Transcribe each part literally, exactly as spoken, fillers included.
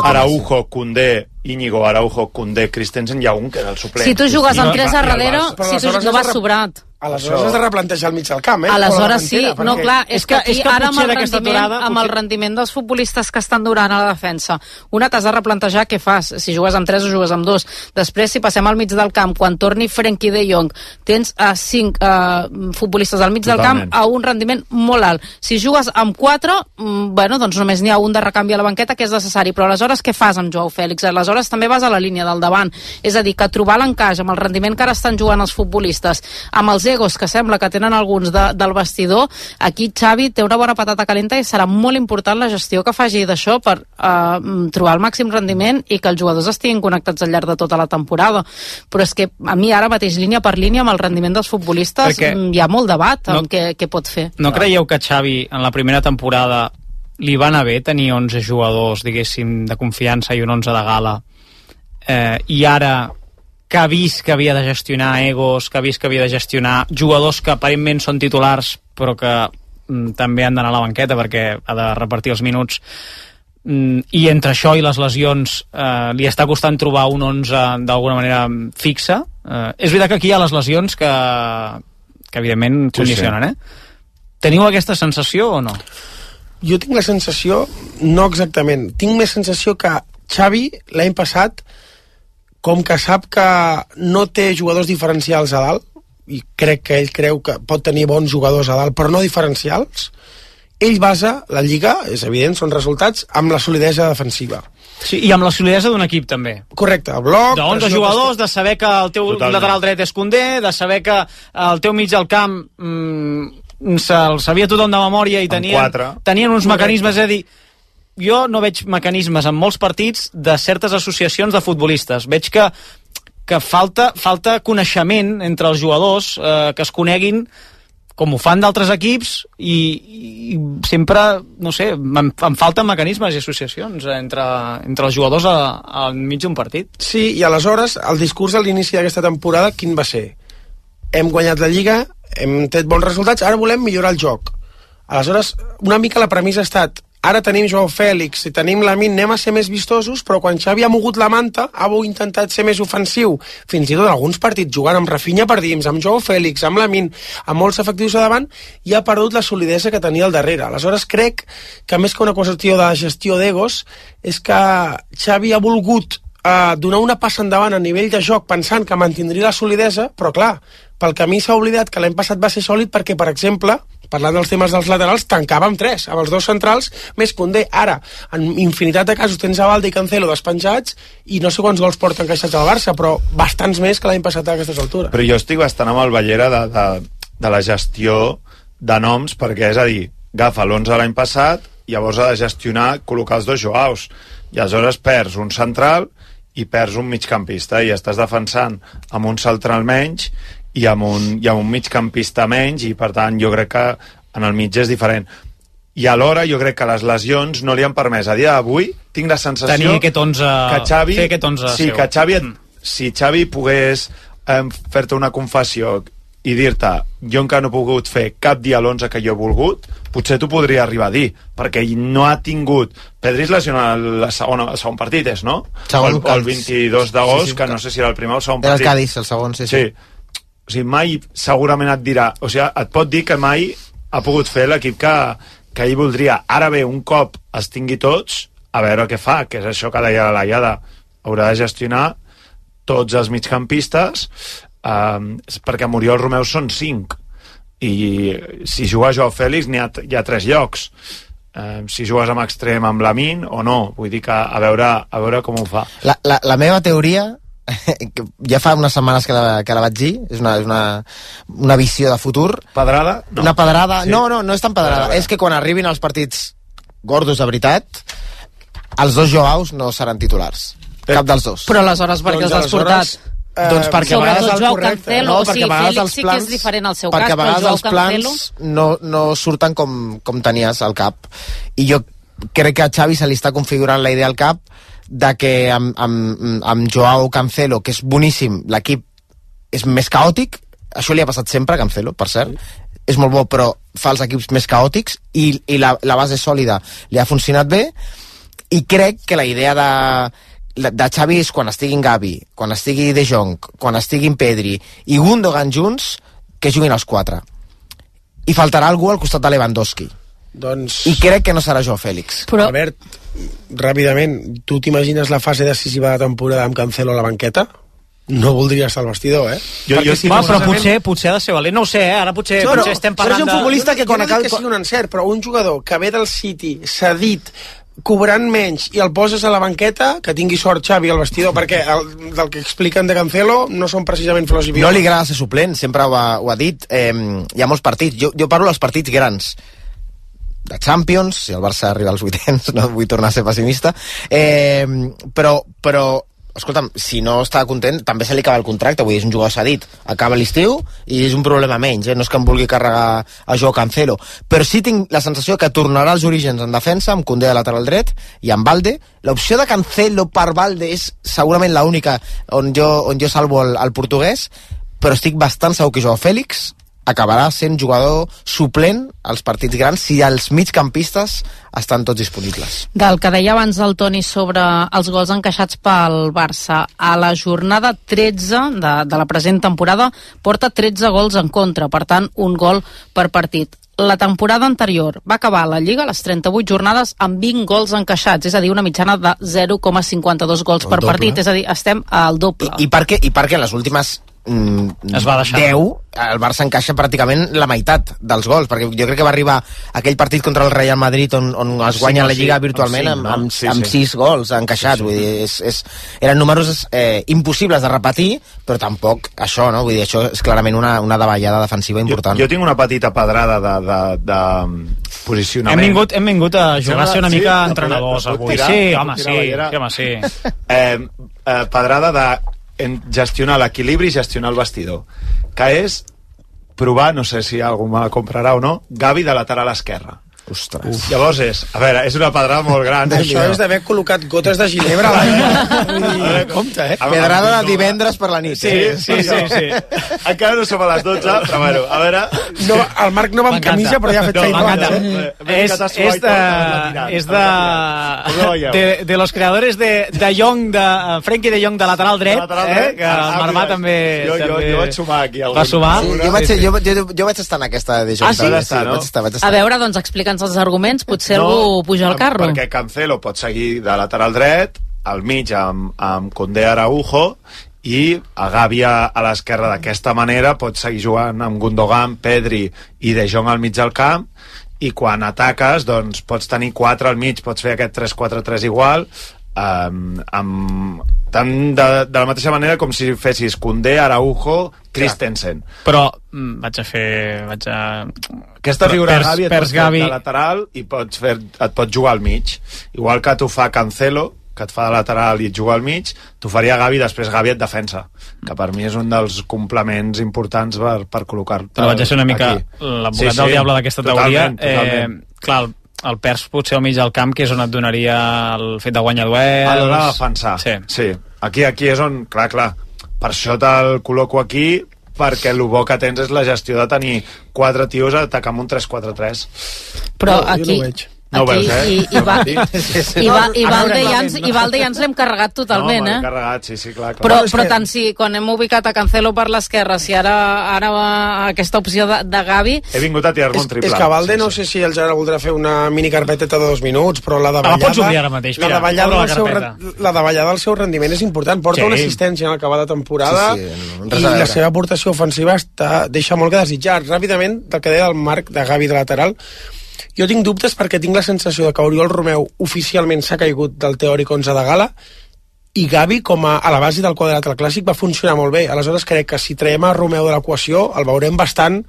Araujo, Koundé, Íñigo, Araujo, Koundé, Christensen, hi ha un que era el suplent. Si tu jugues amb tres a darrere, si tu no vas sobrat. Aleshores has de replantejar el mig del camp, eh? Aleshores sí, no, clar, és que aquí és que ara amb el, aquesta rendiment, aturada, amb el rendiment dels futbolistes que estan durant a la defensa, una t'has de replantejar què fas, si jugues amb tres o jugues amb dos. Després, si passem al mig del camp, quan torni Frenkie de Jong, tens uh, cinc uh, futbolistes al mig Totalment. del camp a un rendiment molt alt. Si jugues amb quatre, mm, bueno, doncs només n'hi ha un de recanvi a la banqueta que és necessari, però aleshores què fas amb Joao Fèlix? Aleshores també vas a la línia del davant. És a dir, que trobar l'encaix amb el rendiment que ara estan jugant els futbolistes, amb els egos que sembla que tenen alguns de, del vestidor, aquí Xavi té una bona patata calenta i serà molt important la gestió que faci d'això per uh, trobar el màxim rendiment i que els jugadors estiguin connectats al llarg de tota la temporada. Però és que a mi ara mateix, línia per línia, amb el rendiment dels futbolistes, Perquè hi ha molt debat no, amb què, què pot fer. No creieu que Xavi en la primera temporada li va anar bé tenir onze jugadors, diguéssim, de confiança i un onze de gala, eh, i ara que ha vist que havia de gestionar egos, que ha vist que havia de gestionar jugadors que aparentment són titulars però que mm, també han d'anar a la banqueta perquè ha de repartir els minuts, mm, i entre això i les lesions eh, li està costant trobar un onze d'alguna manera fixa. Eh, és veritat que aquí hi ha les lesions que, que evidentment sí, condicionen, sí. eh? Teniu aquesta sensació o no? Jo tinc la sensació, no exactament, tinc més sensació que Xavi l'any passat, com que sap que no té jugadors diferencials a dalt, i crec que ell creu que pot tenir bons jugadors a dalt, però no diferencials, ell basa la Lliga, és evident, són resultats, amb la solidesa defensiva. Sí, i amb la solidesa d'un equip també. Correcte, el bloc... d'onze jugadors, de saber que el teu Totalment. lateral dret és Koundé, de saber que el teu mig del camp mmm, se'l sabia tothom de memòria i tenien, tenien uns mecanismes, és a dir, jo no veig mecanismes en molts partits de certes associacions de futbolistes. Veig que, que falta, falta coneixement entre els jugadors, eh, que es coneguin com ho fan d'altres equips i, i sempre, no sé, em, em falten mecanismes i associacions entre, entre els jugadors al mig d'un partit. Sí, i aleshores el discurs a l'inici d'aquesta temporada quin va ser? Hem guanyat la Lliga, hem tret bons resultats, ara volem millorar el joc. Aleshores, una mica la premissa ha estat ara tenim Joao Fèlix i tenim Lamine, anem a ser més vistosos, però quan Xavi ha mogut la manta, ha intentat ser més ofensiu, fins i tot alguns partits jugant amb Rafinha per dins, amb Joao Fèlix, amb Lamine, amb molts efectius a davant, i ha perdut la solidesa que tenia al darrere. Aleshores crec que més que una qüestió de gestió d'egos, és que Xavi ha volgut eh, donar una passa endavant a nivell de joc pensant que mantindria la solidesa, però clar, pel camí s'ha oblidat que l'any passat va ser sòlid perquè, per exemple, parlant dels temes dels laterals, tancava amb tres, amb els dos centrals, més Koundé. Ara, en infinitat de casos tens a Balde i Cancelo despenjats i no sé quants gols porten encaixats al Barça, però bastants més que l'any passat a aquestes altures. Però jo estic bastant amb el Ballera de, de, de la gestió de noms, perquè és a dir, agafa l'onze de l'any passat, llavors ha de gestionar, col·locar els dos Joaos, i aleshores perds un central i perds un migcampista, i estàs defensant amb un central menys i amb un, i amb un migcampista menys, i per tant jo crec que en el mig és diferent. I alhora jo crec que les lesions no li han permès. A dia d'avui tinc la sensació tenir aquest onze, que Xavi, fer aquest onze sí, seu. que Xavi, si Xavi pogués eh, fer-te una confessió i dir-te, jo encara no he pogut fer cap dia l'onze que jo he volgut, potser t'ho podria arribar a dir, perquè ell no ha tingut... Pedri es lesiona el segon, el segon partit, és, no? Segon, el, el vint-i-dos d'agost, sí, sí, que no sé si era el primer o el segon partit. Era el Cádiz, el segon, sí, sí. sí. O sigui, mai segurament et dirà... O sigui, et pot dir que mai ha pogut fer l'equip que, que ell voldria. Ara bé, un cop els tingui tots, a veure què fa, que és això que deia la Laiada. Haurà de gestionar tots els migcampistes, eh, perquè a Muriel Romeu són cinc. I si juga Joao Fèlix n'hi ha, hi ha tres llocs. Eh, si jugues amb extrem amb Lamine o no. Vull dir que a veure, a veure com ho fa. La, la, la meva teoria... ja fa unes setmanes que la, que la vaig dir, és una, és una, una visió de futur. Pedrada? No. Una pedrada, sí. no, no, no és tan pedrada, pedrada. És que quan arribin els partits gordos de veritat, els dos Joaos no seran titulars, eh. cap dels dos. Però aleshores per què els has portat? Eh, doncs perquè a vegades el Joao correcte, Cancelo, no, o sigui, Fèlix sí que és diferent al seu cas, perquè a vegades els Cancelo... plans no, no surten com, com tenies al cap, i jo crec que a Xavi se li està configurant la idea al cap de que amb, amb, amb Joao Cancelo, que és boníssim, l'equip és més caòtic. Això li ha passat sempre a Cancelo, per cert, és molt bo, però fa els equips més caòtics, i, i la, la base sòlida li ha funcionat bé, i crec que la idea de de Xavi és quan estiguin Gavi, quan estigui De Jong, quan estiguin Pedri i Gundogan junts, que juguin els quatre. I faltarà algú al costat de Lewandowski. Doncs... I crec que no serà Joao Fèlix. Però... Albert, ràpidament, tu t'imagines la fase decisiva de temporada amb Cancelo a la banqueta? No voldria estar al vestidor, eh? Jo, jo sí, però potser, potser ha de ser valent. No ho sé, eh? Ara potser, no, potser no, estem parlant de... de... un futbolista que quan no, no acabi... que sigui un encert, però un jugador que ve del City, cedit, cobrant menys i el poses a la banqueta, que tingui sort Xavi al vestidor, perquè el, del que expliquen de Cancelo no són precisament flors i violes. No li agrada ser suplent, sempre ho ha, ho ha dit. Eh, hi ha molts partits. Jo, jo parlo dels partits grans de Champions, si el Barça arriba als vuitens, no vull tornar a ser pessimista, eh, però, però escolta'm, si no està content, també se li acaba el contracte, vull dir, és un jugador cedit, acaba l'estiu i és un problema menys, eh? No és que em vulgui carregar a Joao Cancelo, però sí tinc la sensació que tornarà als orígens en defensa, amb Koundé de lateral dret i amb Valde. L'opció de Cancelo per Valde és segurament l'única on jo, on jo salvo el, el portuguès, però estic bastant segur que Joao Fèlix acabarà sent jugador suplent als partits grans si els migcampistes estan tots disponibles. Del que deia abans el Toni sobre els gols encaixats pel Barça, a la jornada tretze de, de la present temporada porta tretze gols en contra, per tant un gol per partit. La temporada anterior va acabar la Lliga a les trenta-vuit jornades amb vint gols encaixats, és a dir, una mitjana de zero coma cinquanta-dos gols el per doble. Partit, és a dir, estem al doble. I, i, per què, i per què les últimes mm, es va deixar deu, el Barça encaixa pràcticament la meitat dels gols, perquè jo crec que va arribar aquell partit contra el Real Madrid on, on es guanya sí, la Lliga sí, virtualment amb, cinc, amb, amb, sí, amb sí. sis gols encaixats, sí, sí. Vull dir, és, és, eren números eh, impossibles de repetir, però tampoc això, no? Vull dir, això és clarament una, una davallada defensiva important. Jo, jo tinc una petita pedrada de, de, de posicionament. Hem vingut, hem vingut a jugar a ser una sí, mica entrenadors avui. Tirar, sí, home, sí, sí, home, sí. Eh, eh, pedrada de en gestionar l'equilibri i gestionar el vestidor, que és provar, no sé si algú me comprarà o no, Gavi de lateral esquerra. Ostres. Uf. Llavors és, a veure, és una pedrada molt gran. Això és d'haver col·locat gotes de ginebra a la compte, eh? Pedrada de divendres per la nit. Sí, sí, sí, sí, sí. Encara no som a les dotze, però bueno, a veure... No, el Marc no va amb camisa, però ja ha fet feina. No, és, és de... És de... De, de los creadores de, de Jong, de Frenkie de Jong de lateral dret, eh? Que el Marmà també... Jo, jo, jo vaig sumar aquí. Va sumar? Sí, jo, vaig, jo, jo, jo vaig estar en aquesta de Jong. Ah, sí? Sí, sí, vaig estar, vaig estar. A veure, doncs explica'ns els arguments, potser no, algú puja al carro. Perquè Cancelo pot seguir de lateral dret, al mig amb, amb Koundé Araujo, i a Gavi a, a l'esquerra d'aquesta manera pot seguir jugant amb Gundogan, Pedri i De Jong al mig del camp, i quan ataques doncs pots tenir quatre al mig, pots fer aquest tres quatre tres igual, um, amb, tant de, de la mateixa manera com si fessis Koundé, Araujo, Christensen. Però mm, vaig a fer... Vaig a... Aquesta figura pers, Gavi et pers pots fer Gavi... de lateral i pots fer, et pots jugar al mig. Igual que t'ho fa Cancelo, que et fa de lateral i et juga al mig, t'ho faria Gavi, després Gavi et defensa, que per mi és un dels complements importants per, per col·locar-te. Però vaig a ser una mica l'advocat sí, sí, del diable d'aquesta teoria. Totalment. Eh, clar, el, el pers potser al mig del camp, que és on et donaria el fet de guanyar duels... A l'hora de defensar. Sí. sí. Aquí, aquí és on, clar, clar, per això te'l col·loco aquí, perquè el bo que tens és la gestió de tenir quatre tios a atacar amb un tres quatre tres. Però no, aquí... No ho veus, eh? I, i, va, i, i, va, i, Valde ja ens, i Valde ja ens l'hem carregat totalment, no, eh? carregat, sí, sí, clar, clar. Però, però tant si quan hem ubicat a Cancelo per l'esquerra, si ara ara va aquesta opció de, de Gavi... He vingut a tirar-me un triple. És que Valde sí, no sí. sé si el Gerard voldrà fer una mini carpeteta de dos minuts, però la davallada... Ah, la pots obrir ara mateix, mira, la davallada, la, del seu, la davallada del seu rendiment és important. Porta sí. una assistència en acabar de temporada sí, sí, no, i la seva aportació ofensiva està, deixa molt que desitjar. Ràpidament, del que deia el Marc de Gavi de lateral, jo tinc dubtes perquè tinc la sensació de que Oriol Romeu oficialment s'ha caigut del teòric onze de gala i Gavi, com a, a la base del quadrat al clàssic, va funcionar molt bé. Aleshores crec que si traiem a Romeu de l'equació el veurem bastant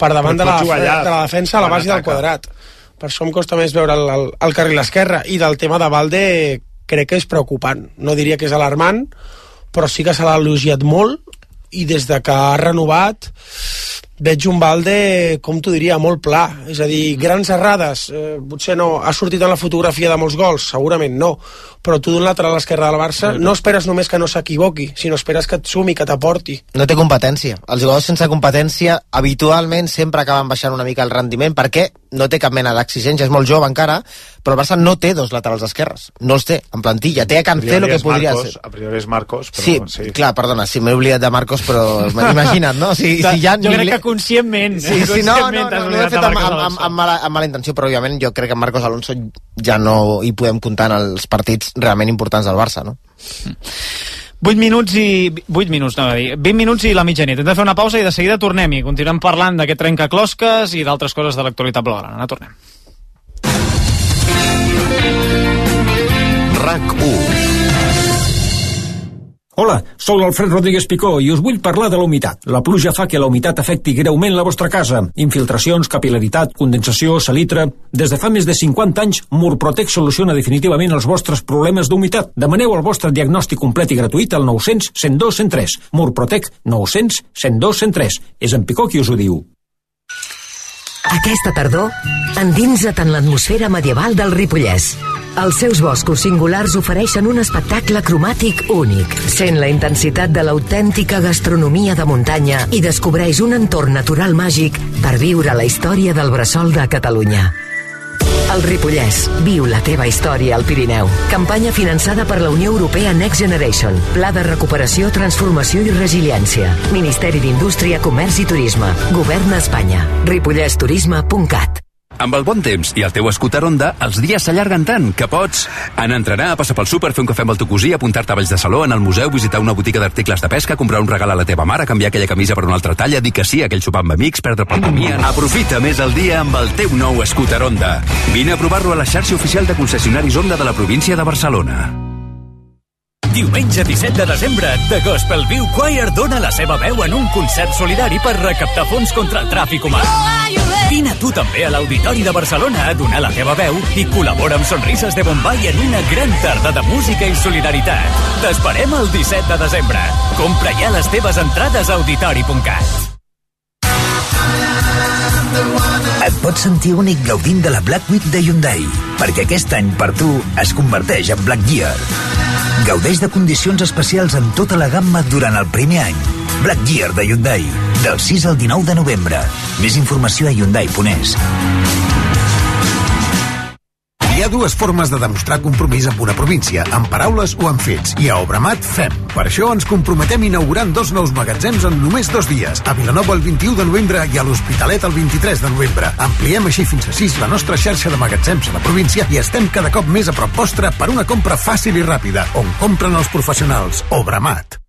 per davant de la, allà, de la defensa a la base del quadrat. Per això em costa més veure el, el, el carril esquerre. I del tema de Valde crec que és preocupant. No diria que és alarmant, però sí que se l'ha elogiat molt i des de que ha renovat veig un Balde, com t'ho diria, molt pla, és a dir, grans errades, eh, potser no, ha sortit en la fotografia de molts gols, segurament no, però tu d'un lateral esquerre del Barça no esperes només que no s'equivoqui, sinó esperes que et sumi, que t'aporti. No té competència. Els jugadors sense competència habitualment sempre acaben baixant una mica el rendiment perquè no té cap mena d'exigència, és molt jove encara, però el Barça no té dos laterals esquerres, no els té en plantilla, té a Cancelo que podria Marcos, ser. A priori és Marcos, però sí, sí. Clar, perdona, sí, m'he oblidat de Marcos, però imagina't, no? Si, si ja jo crec que conscientment, sí, sí, no, no, no, no, no he fet amb, amb, amb, amb, mala, amb mala intenció, però òbviament jo crec que Marcos Alonso ja no hi podem comptar en els partits realment importants del Barça, no? vuit minuts i... vuit minuts, no, dir, vint minuts i la mitjanit. Hem de fer una pausa i de seguida tornem i continuem parlant d'aquest trencaclosques i d'altres coses de l'actualitat blaugrana. Ara tornem. RAC u. Hola, sóc l'Alfred Rodríguez Picó i us vull parlar de la humitat. La pluja fa que la humitat afecti greument la vostra casa. Infiltracions, capil·laritat, condensació, salitre... Des de fa més de cinquanta anys, Murprotec soluciona definitivament els vostres problemes d'humitat. Demaneu el vostre diagnòstic complet i gratuït al nou cents, cent dos, cent tres. Murprotec nou cents, cent dos, cent tres. És en Picó qui us ho diu. Aquesta tardor, endinsa't en l'atmosfera medieval del Ripollès. Els seus boscos singulars ofereixen un espectacle cromàtic únic. Sent la intensitat de l'autèntica gastronomia de muntanya i descobreix un entorn natural màgic per viure la història del bressol de Catalunya. El Ripollès. Viu la teva història al Pirineu. Campanya finançada per la Unió Europea Next Generation. Pla de recuperació, transformació i resiliència. Ministeri d'Indústria, Comerç i Turisme. Govern d'Espanya. ripollès turisme punt cat. Amb el bon temps i el teu scooter Honda, els dies s'allarguen tant que pots anar a entrenar, passar pel súper, fer un cafè amb el teu cosí, apuntar-te a Valls de Saló, en el museu, visitar una botiga d'articles de pesca, comprar un regal a la teva mare, canviar aquella camisa per una altra talla, dir que sí a aquell sopar amb amics, perdre pel camí... Aprofita més el dia amb el teu nou scooter Honda. Vine a provar-lo a la xarxa oficial de concessionaris Honda de la província de Barcelona. Diumenge disset de desembre, The Gospel View Choir dona la seva veu en un concert solidari per recaptar fons contra el tràfic humà. Vine tu també a l'Auditori de Barcelona a donar la teva veu i col·labora amb Sonrises de Bombay en una gran tarda de música i solidaritat. T'esperem el disset de desembre. Compra ja les teves entrades a auditori punt cat. Et pots sentir únic gaudint de la Black Week de Hyundai, perquè aquest any per tu es converteix en Black Year. Gaudeix de condicions especials en tota la gamma durant el primer any. Black Year de Hyundai, del sis al dinou de novembre. Més informació a hyundai punt es. Hi ha dues formes de demostrar compromís amb una província, amb paraules o amb fets, i a Obramat fem. Per això ens comprometem inaugurant dos nous magatzems en només dos dies, a Vilanova el vint-i-u de novembre i a l'Hospitalet el vint-i-tres de novembre. Ampliem així fins a sis la nostra xarxa de magatzems a la província i estem cada cop més a prop vostre per una compra fàcil i ràpida, on compren els professionals. Obramat.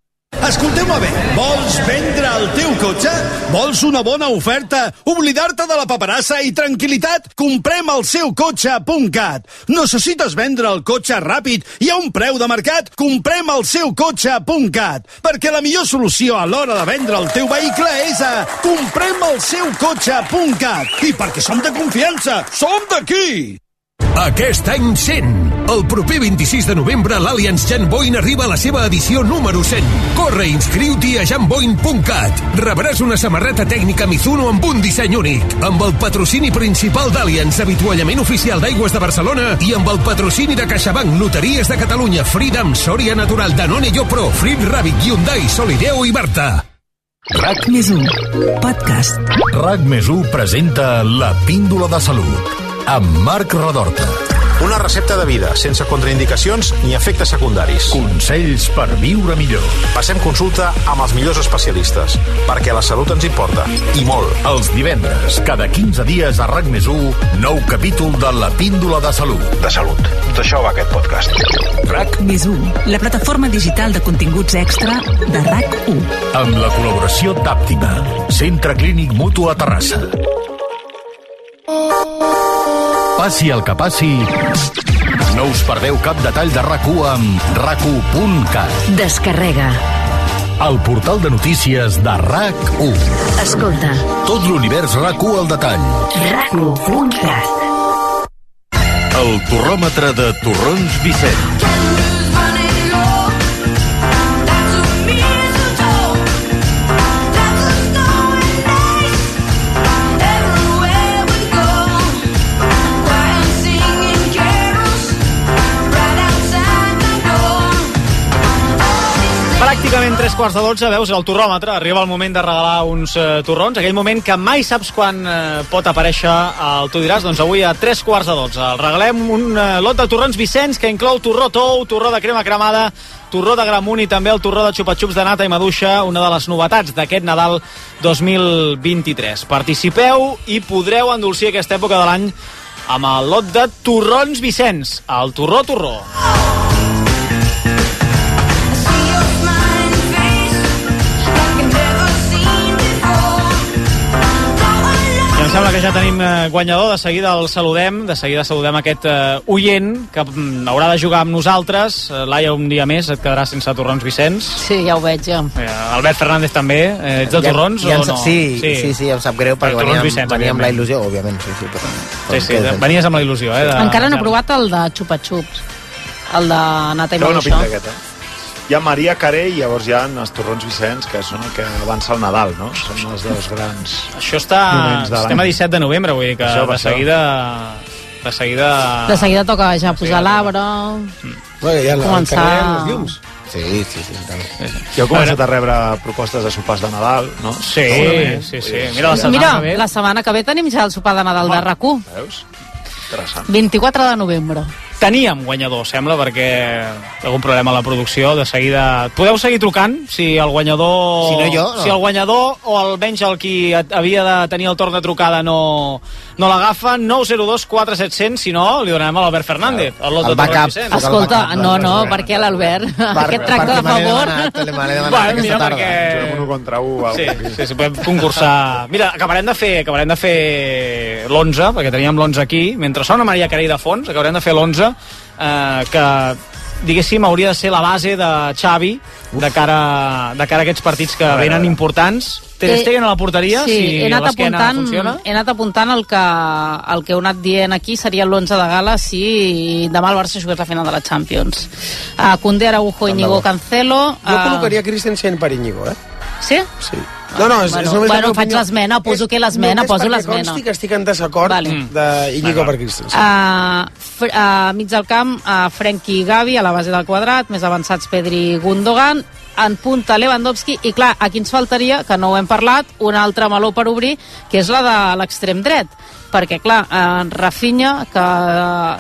Escolteu-me bé, vols vendre el teu cotxe? Vols una bona oferta? Oblidar-te de la paperassa i tranquil·litat? Comprem el seu cotxe punt cat. Necessites vendre el cotxe ràpid i a un preu de mercat? Comprem el seu cotxe punt cat. Perquè la millor solució a l'hora de vendre el teu vehicle és a comprem el seu cotxe punt cat. I perquè som de confiança, som d'aquí! Aquest any cent. El proper vint-i-sis de novembre l'Allianz Jan Boyne arriba a la seva edició número cent. Corre i inscriu-t'hi a jan boyne punt cat. Rebràs una samarreta tècnica Mizuno amb un disseny únic. Amb el patrocini principal d'Allianz, avituallament oficial d'Aigües de Barcelona, i amb el patrocini de CaixaBank, Loteries de Catalunya, Freedom, Sòria Natural, Danone Yopro, Frit Rabbit, Hyundai, Solideo i Barta. RAC més u, podcast. RAC més u presenta La Píndola de Salut, amb Marc Redorta. Una recepta de vida, sense contraindicacions ni efectes secundaris. Consells per viure millor. Passem consulta amb els millors especialistes, perquè la salut ens importa, i molt. Els divendres, cada quinze dies a RAC més u, nou capítol de La Píndola de Salut. De salut. D'això va aquest podcast. RAC més u, la plataforma digital de continguts extra de RAC u. Amb la col·laboració d'Àptima, Centre Clínic Mutu a Terrassa. Passi el que passi, no us perdeu cap detall de RAC u amb rac u punt cat. Descarrega. El portal de notícies de RAC u. Escolta. Tot l'univers RAC u al detall. rac u punt cat. El torròmetre de Torrons Vicent. Pràcticament tres quarts de dotze, veus el torròmetre, arriba el moment de regalar uns eh, torrons, aquell moment que mai saps quan eh, pot aparèixer el Tu diràs, doncs avui a tres quarts de dotze. El regalem un eh, lot de torrons Vicenç que inclou torró tou, torró de crema cremada, torró de gramunt i també el torró de xupa-xups de nata i maduixa, una de les novetats d'aquest Nadal dos mil vint-i-tres. Participeu i podreu endolcir aquesta època de l'any amb el lot de torrons Vicenç, el torró torró. I em sembla que ja tenim guanyador, de seguida el saludem, de seguida saludem aquest uh, oient que um, haurà de jugar amb nosaltres. Uh, Laia, un dia més et quedaràs sense torrons Vicenç. Sí, ja ho veig, ja. Uh, Albert Fernández també, uh, ets de torrons ja, ja o no? Sí, sí, sí, sí, em sap greu perquè venia, Vicenç, venia amb la il·lusió, òbviament. Sí, sí, però, sí, sí, de, venies amb la il·lusió. Eh, de, Encara no he provat el de xupa-xups, el de nata i maduixa. No, no, hi ha Maria Carey i llavors hi ha els torrons Vicenç, que són el que avança el Nadal, no? Són els dos grans. Això està... Estem a disset de novembre, vull dir que això, de seguida... De seguida... De seguida toca ja posar l'arbre... Mm. Bueno, ja començar... els llums. Sí, sí, sí. sí. Ja heu començat a rebre propostes de sopars de Nadal, no? Sí, sí, sí. Mira, la setmana Mira, que ve... la setmana que ve tenim ja el sopar de Nadal de R A C U. Veus? Interessant. vint-i-quatre de novembre. Teníem guanyador, sembla, perquè algun problema a la producció, de seguida... Podeu seguir trucant, si el guanyador... Si no jo, no. Si el guanyador, o almenys el qui havia de tenir el torn de trucada no, no l'agafa, nou zero dos quatre set zero zero, si no, li donem a l'Albert Fernández. El, el backup. Escolta, no, no, per què l'Albert? Aquest tracte de favor... Bueno, mira, perquè... Juguem un contra un. Sí, sí, sí, podem concursar... Mira, acabarem de fer, acabarem de fer l'onze, perquè teníem l'onze aquí, mentre sona Maria Carey de fons, acabarem de fer l'onze, eh, que diguéssim hauria de ser la base de Xavi de cara, de cara a aquests partits que venen importants. Ter Stegen a la porteria, sí, si l'esquena funciona. He anat apuntant el que, el que heu anat dient aquí seria l'onze de gala si demà el Barça jugués la final de la Champions. Uh, Koundé, Araujo, Íñigo, Cancelo... Uh... Jo col·locaria Christensen per Íñigo, eh? Sí? Sí. No, no, és, bueno, és només bueno faig l'esmena, poso que l'esmena, poso l'esmena. Consti que estic en desacord vale. d'Íñigo per Christensen. Uh, uh, mig del camp, uh, Frenkie i Gavi a la base del quadrat, més avançats Pedri i Gundogan, en punta Lewandowski, i clar, aquí ens faltaria, que no ho hem parlat, una altra meló per obrir, que és la de l'extrem dret, perquè clar, en Rafinha, que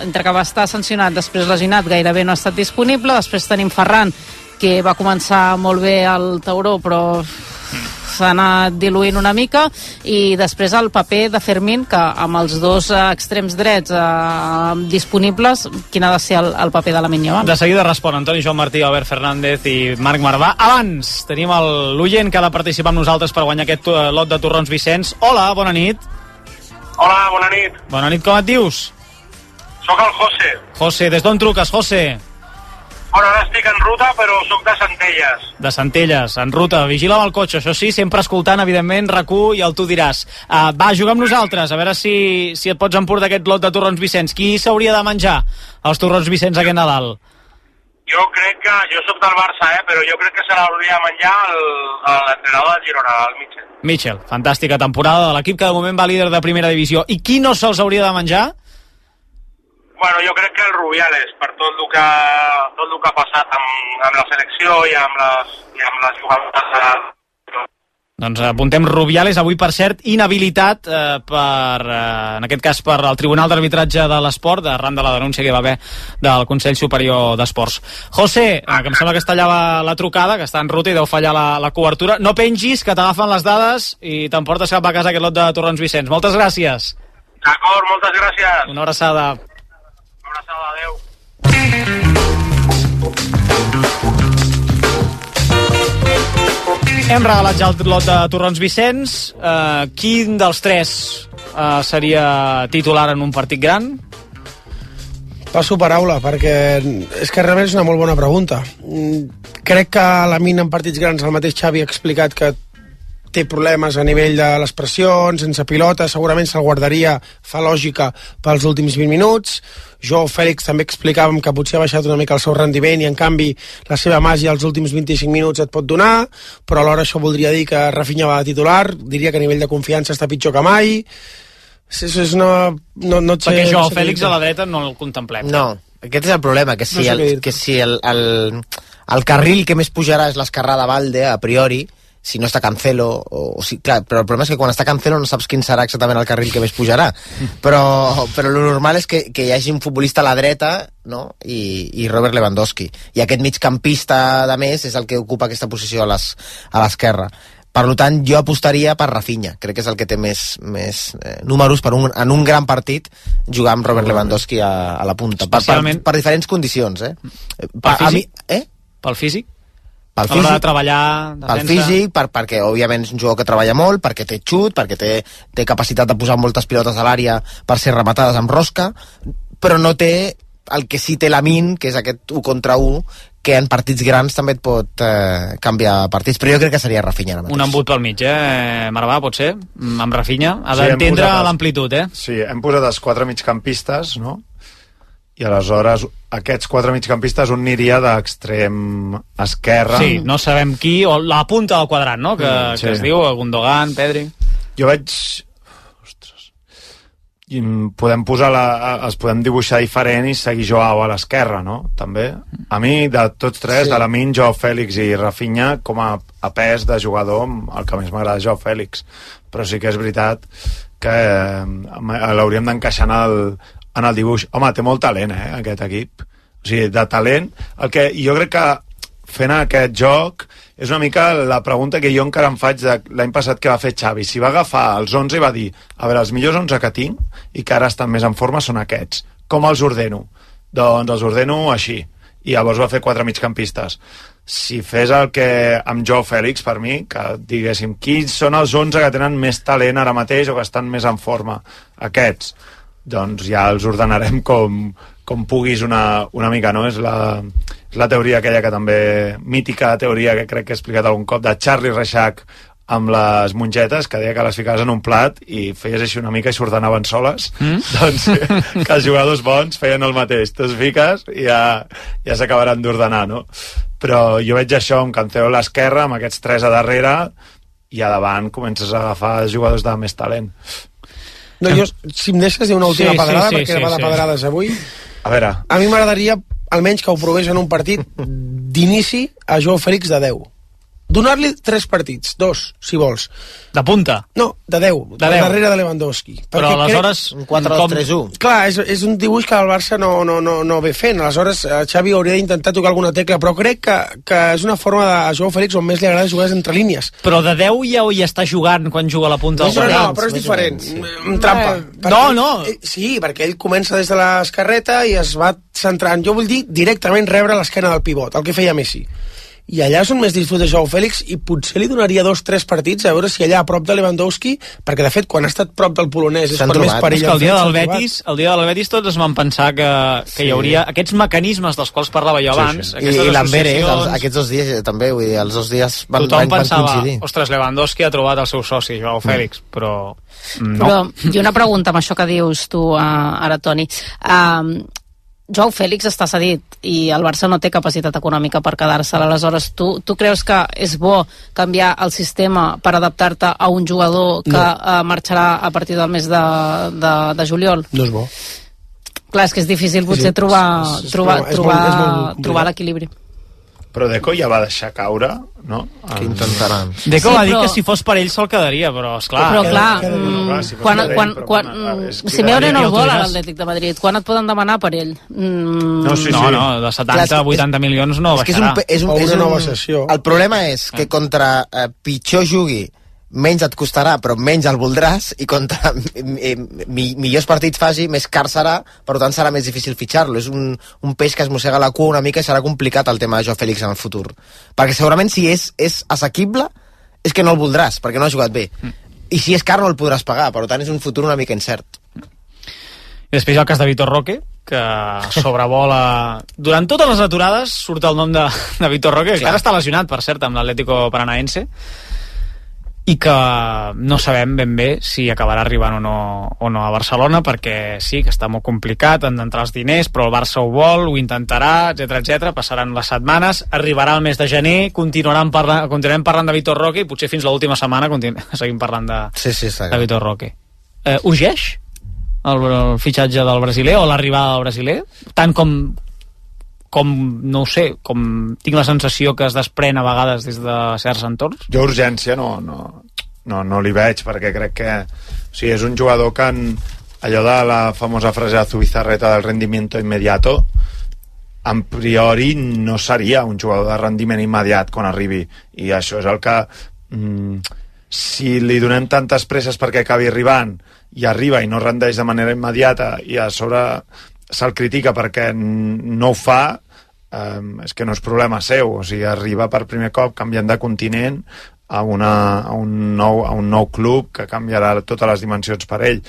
entre que va estar sancionat, després lesionat, gairebé no ha estat disponible, després tenim Ferran, que va començar molt bé al Tauró, però s'ha anat diluint una mica, i després el paper de Fermín, que amb els dos extrems drets eh, disponibles, quin ha de ser el, el paper de la Yamal? De seguida respon Antoni Joan Martí, Albert Fernández i Marc Marvà. Abans tenim l'oient que ha de participar amb nosaltres per guanyar aquest lot de torrons Vicenç. Hola, bona nit. Hola, bona nit. Bona nit, com et dius? Soc el José. José, des d'on truques, José? Bueno, ara estic en ruta, però sóc de Centelles. De Centelles, en ruta. Vigila amb el cotxe, això sí, sempre escoltant, evidentment, R A C U i el Tu diràs. Uh, va, jugar amb nosaltres, a veure si, si et pots emportar aquest lot de torrons Vicenç. Qui s'hauria de menjar els torrons Vicenç aquest Nadal? Jo crec que... Jo sóc del Barça, eh, però jo crec que se l'hauria de menjar l'entrenador de Girona, el Michel. Michel, fantàstica temporada de l'equip que de moment va líder de primera divisió. I qui no se'ls hauria de menjar? Bueno, jo crec que el Rubiales, per tot el que, tot el que ha passat amb, amb la selecció i amb les, i amb les jugadores. Doncs apuntem Rubiales, avui per cert inhabilitat eh, per, eh, en aquest cas per el Tribunal d'Arbitratge de l'Esport, arran de la denúncia que hi va haver del Consell Superior d'Esports. José, eh, que em sembla que està allà la, la trucada, que està en ruta i deu fallar la, la cobertura. No pengis, que t'agafen les dades i t'emportes cap a casa aquest lot de torrons Vicenç. Moltes gràcies. D'acord, moltes gràcies. Una abraçada. Una abraçada, adeu. Hem regalat ja el lot de torrons Vicenç. Uh, quin dels tres uh, seria titular en un partit gran? Passo paraula, perquè és que realment és una molt bona pregunta. Crec que a la mina en partits grans el mateix Xavi ha explicat que té problemes a nivell de les pressions, sense pilota, segurament se'l guardaria, fa lògica, pels últims vint minuts. Jo, Fèlix, també explicàvem que potser ha baixat una mica el seu rendiment i, en canvi, la seva màgia als últims vint-i-cinc minuts et pot donar, però alhora això voldria dir que Rafinha va de titular, diria que a nivell de confiança està pitjor que mai. És, és una... No, no sé, Perquè jo, no sé Fèlix, a la dreta no el contemplem. No, aquest és el problema, que si, no sé el, que si el, el, el carril que més pujarà és l'esquerrà de Valde, a priori, si no està Cancelo, o, o si, clar, però el problema és que quan està Cancelo no saps quin serà exactament el carril que més pujarà, però, però lo normal és que, que hi hagi un futbolista a la dreta, no? I, i Robert Lewandowski, i aquest migcampista de més és el que ocupa aquesta posició a les, a l'esquerra. Per tant, jo apostaria per Rafinha, crec que és el que té més, més eh, números per un, en un gran partit jugar amb Robert Lewandowski a, a la punta, per, per, per diferents condicions, eh? Pel físic? A mi, eh? Pel físic? Pel físic, de treballar, pel físic, per, perquè òbviament és un jugador que treballa molt, perquè té xut, perquè té, té capacitat de posar moltes pilotes a l'àrea per ser rematades amb rosca, però no té el que sí té Lamine, que és aquest u contra u, que en partits grans també et pot eh, canviar partits, però jo crec que seria Rafinha ara mateix. Un embut pel mig, eh, Marvà, pot ser? Amb Rafinha, ha sí, d'entendre l'amplitud, eh? Sí, hem posat els quatre migcampistes, no? I aleshores aquests quatre migcampistes un aniria d'extrem esquerra. Sí, no sabem qui, o la punta del quadrat, no? Que, mm, sí. que es diu Gundogan, Pedri. Jo veig... Ostres. I podem posar la... els podem dibuixar diferent i seguir Joao a l'esquerra, no? També. A mi, de tots tres, sí. de Lamine, Joao Fèlix i Rafinha, com a, a pes de jugador, el que més m'agrada és Joao Fèlix. Però sí que és veritat que eh, l'hauríem d'encaixar en el en el dibuix. Home, té molt talent, eh, aquest equip. O sigui, de talent. El que jo crec que fent aquest joc és una mica la pregunta que jo encara em faig de l'any passat que va fer Xavi. Si va agafar els onze i va dir, a veure, els millors onze que tinc i que ara estan més en forma són aquests. Com els ordeno? Doncs els ordeno així. I llavors va fer quatre migcampistes. Si fes el que amb Joao Fèlix, per mi, que diguéssim, quins són els onze que tenen més talent ara mateix o que estan més en forma? Aquests. Doncs ja els ordenarem com, com puguis una, una mica, no? És la, és la teoria aquella que també, mítica teoria que crec que he explicat algun cop, de Charlie Reixac amb les mongetes, que deia que les ficaves en un plat i feies així una mica i s'ordenaven soles. Mm? Doncs que els jugadors bons feien el mateix. Tu es fiques i ja, ja s'acabaran d'ordenar, no? Però jo veig això amb Cancelo a l'esquerra, amb aquests tres a darrere, i a davant comences a agafar jugadors de més talent. No, jo, si em deixes dir una última sí, pedrada, sí, sí, perquè sí, va de sí. pedrades avui. A veure. A mi m'agradaria, almenys que ho provés en un partit d'inici a Joao Fèlix de deu. Donar-li tres partits, dos, si vols. De punta? No, de deu, de deu. darrere de Lewandowski. Però aleshores... Un quatre dos tres u. Clar, és, és un dibuix que el Barça no, no, no, no ve fent. Aleshores, Xavi hauria d'intentar tocar alguna tecla, però crec que, que és una forma de Joao Fèlix on més li agrada jugar entre línies. Però de deu ja hi està jugant quan juga a la punta del no, no, però és diferent. Sí. Trampa. Eh, no, no. Sí, perquè ell comença des de l'esquerreta i es va centrant. Jo vull dir directament rebre l'esquena del pivot, el que feia Messi. I allà és on més disfruta Joao Fèlix i potser li donaria dos, tres partits a veure si allà a prop de Lewandowski, perquè de fet quan ha estat prop del polonès és per més perill. És que el dia del Betis, el dia del Betis tots es van pensar que, que sí. hi hauria aquests mecanismes dels quals parlava jo abans, sí, sí. I, i l'Amberes, aquests dos dies també, vull dir, els dos dies van, tothom van, van pensava, coincidir. Ostres, Lewandowski ha trobat el seu soci, Joao Fèlix, mm. però no. Però, i una pregunta amb això que dius tu uh, ara, Toni. Uh, Joao Fèlix està cedit i el Barça no té capacitat econòmica per quedar-se. Aleshores, tu, tu creus que és bo canviar el sistema per adaptar-te a un jugador que no. uh, marxarà a partir del mes de, de, de juliol? No és bo. Clar, és que és difícil potser sí, trobar, és, és, trobar, és trobar, molt, és molt trobar l'equilibri. Però Deco ja va deixar caure, no? Que intentaran. Deco sí, va dir però... que si fos per ell se'l quedaria, però esclar... Però clar, queda, queda, mm, clar si quan, ell, quan, però, quan, bueno, Simeone no el vol a l'Atlètic de Madrid. Quan et poden demanar per ell? Mm... No, sí, sí. no, no, de setanta a vuitanta milions no baixarà. És, un, és, un, és una nova sessió. El problema és que contra eh, pitjor jugui, menys et costarà, però menys el voldràs, i contra mi, mi, millors partits faci, més car serà, per tant serà més difícil fitxar-lo. És un, un peix que es mossega la cua una mica i serà complicat el tema de Joao Fèlix en el futur. Perquè segurament si és, és assequible, és que no el voldràs, perquè no ha jugat bé. Mm. I si és car no el podràs pagar, per tant és un futur una mica incert. I després hi ha el cas de Vitor Roque, que sobrevola... Durant totes les aturades surt el nom de, de Vitor Roque, que ara està lesionat, per cert, amb l'Atlético Paranaense, i que no sabem ben bé si acabarà arribant o no, o no a Barcelona, perquè sí, que està molt complicat, han d'entrar els diners, però el Barça ho vol, ho intentarà, etcètera, etcètera. Passaran les setmanes, arribarà el mes de gener, continuarem parlant, continuarem parlant de Vitor Roque i potser fins l'última setmana seguim parlant de, sí, sí, de Vitor Roque. Eh, urgeix el, el fitxatge del brasiler o l'arribada del brasiler? Tant com com, no ho sé, com tinc la sensació que es desprèn a vegades des de certs entorns? Jo urgència no, no, no, no li veig, perquè crec que o sigui, és un jugador que en, allò de la famosa frase de Zubizarreta del rendimiento inmediato, en priori no seria un jugador de rendiment immediat quan arribi, i això és el que mm, si li donem tantes presses perquè acabi arribant i arriba i no rendeix de manera immediata i a sobre se'l critica perquè no ho fa, eh, és que no és problema seu, o sigui, arriba per primer cop canviant de continent a, una, a, un nou, a un nou club que canviarà totes les dimensions per ell.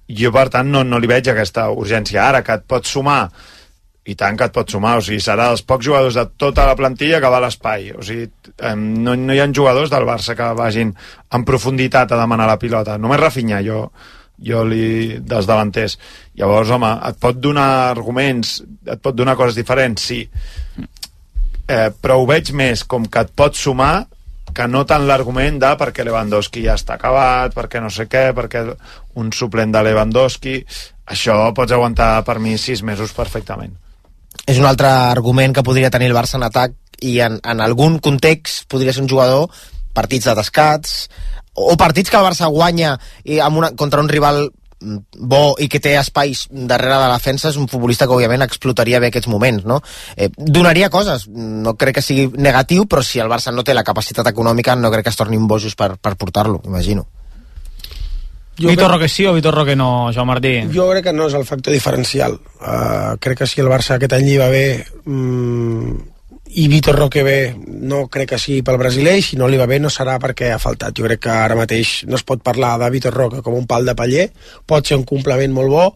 Jo, per tant, no, no li veig aquesta urgència. Ara que et pots sumar, i tant que et pots sumar, o sigui, serà dels pocs jugadors de tota la plantilla que va a l'espai, o sigui, eh, no, no hi ha jugadors del Barça que vagin en profunditat a demanar la pilota, només Rafinha, jo, jo li, dels davanters. Llavors, home, et pot donar arguments, et pot donar coses diferents, sí, eh, però ho veig més com que et pot sumar que no tant l'argument de perquè Lewandowski ja està acabat, perquè no sé què, perquè un suplent de Lewandowski, això pots aguantar per mi sis mesos perfectament. És un altre argument que podria tenir el Barça en atac i en, en algun context podria ser un jugador, partits de descats o partits que el Barça guanya i amb una, contra un rival bo i que té espais darrere de la defensa, és un futbolista que òbviament explotaria bé aquests moments, no? Eh, donaria coses, no crec que sigui negatiu, però si el Barça no té la capacitat econòmica no crec que es torni un bojos per, per portar-lo, imagino. Jo Vitor Roque sí o Vitor Roque no, Joan Martí? Jo crec que no és el factor diferencial. Uh, crec que si el Barça aquest any li va bé um, i Vitor Roque bé, no crec que sigui pel brasiler, i si no li va bé no serà perquè ha faltat. Jo crec que ara mateix no es pot parlar de Vitor Roque com un pal de paller, pot ser un complement molt bo,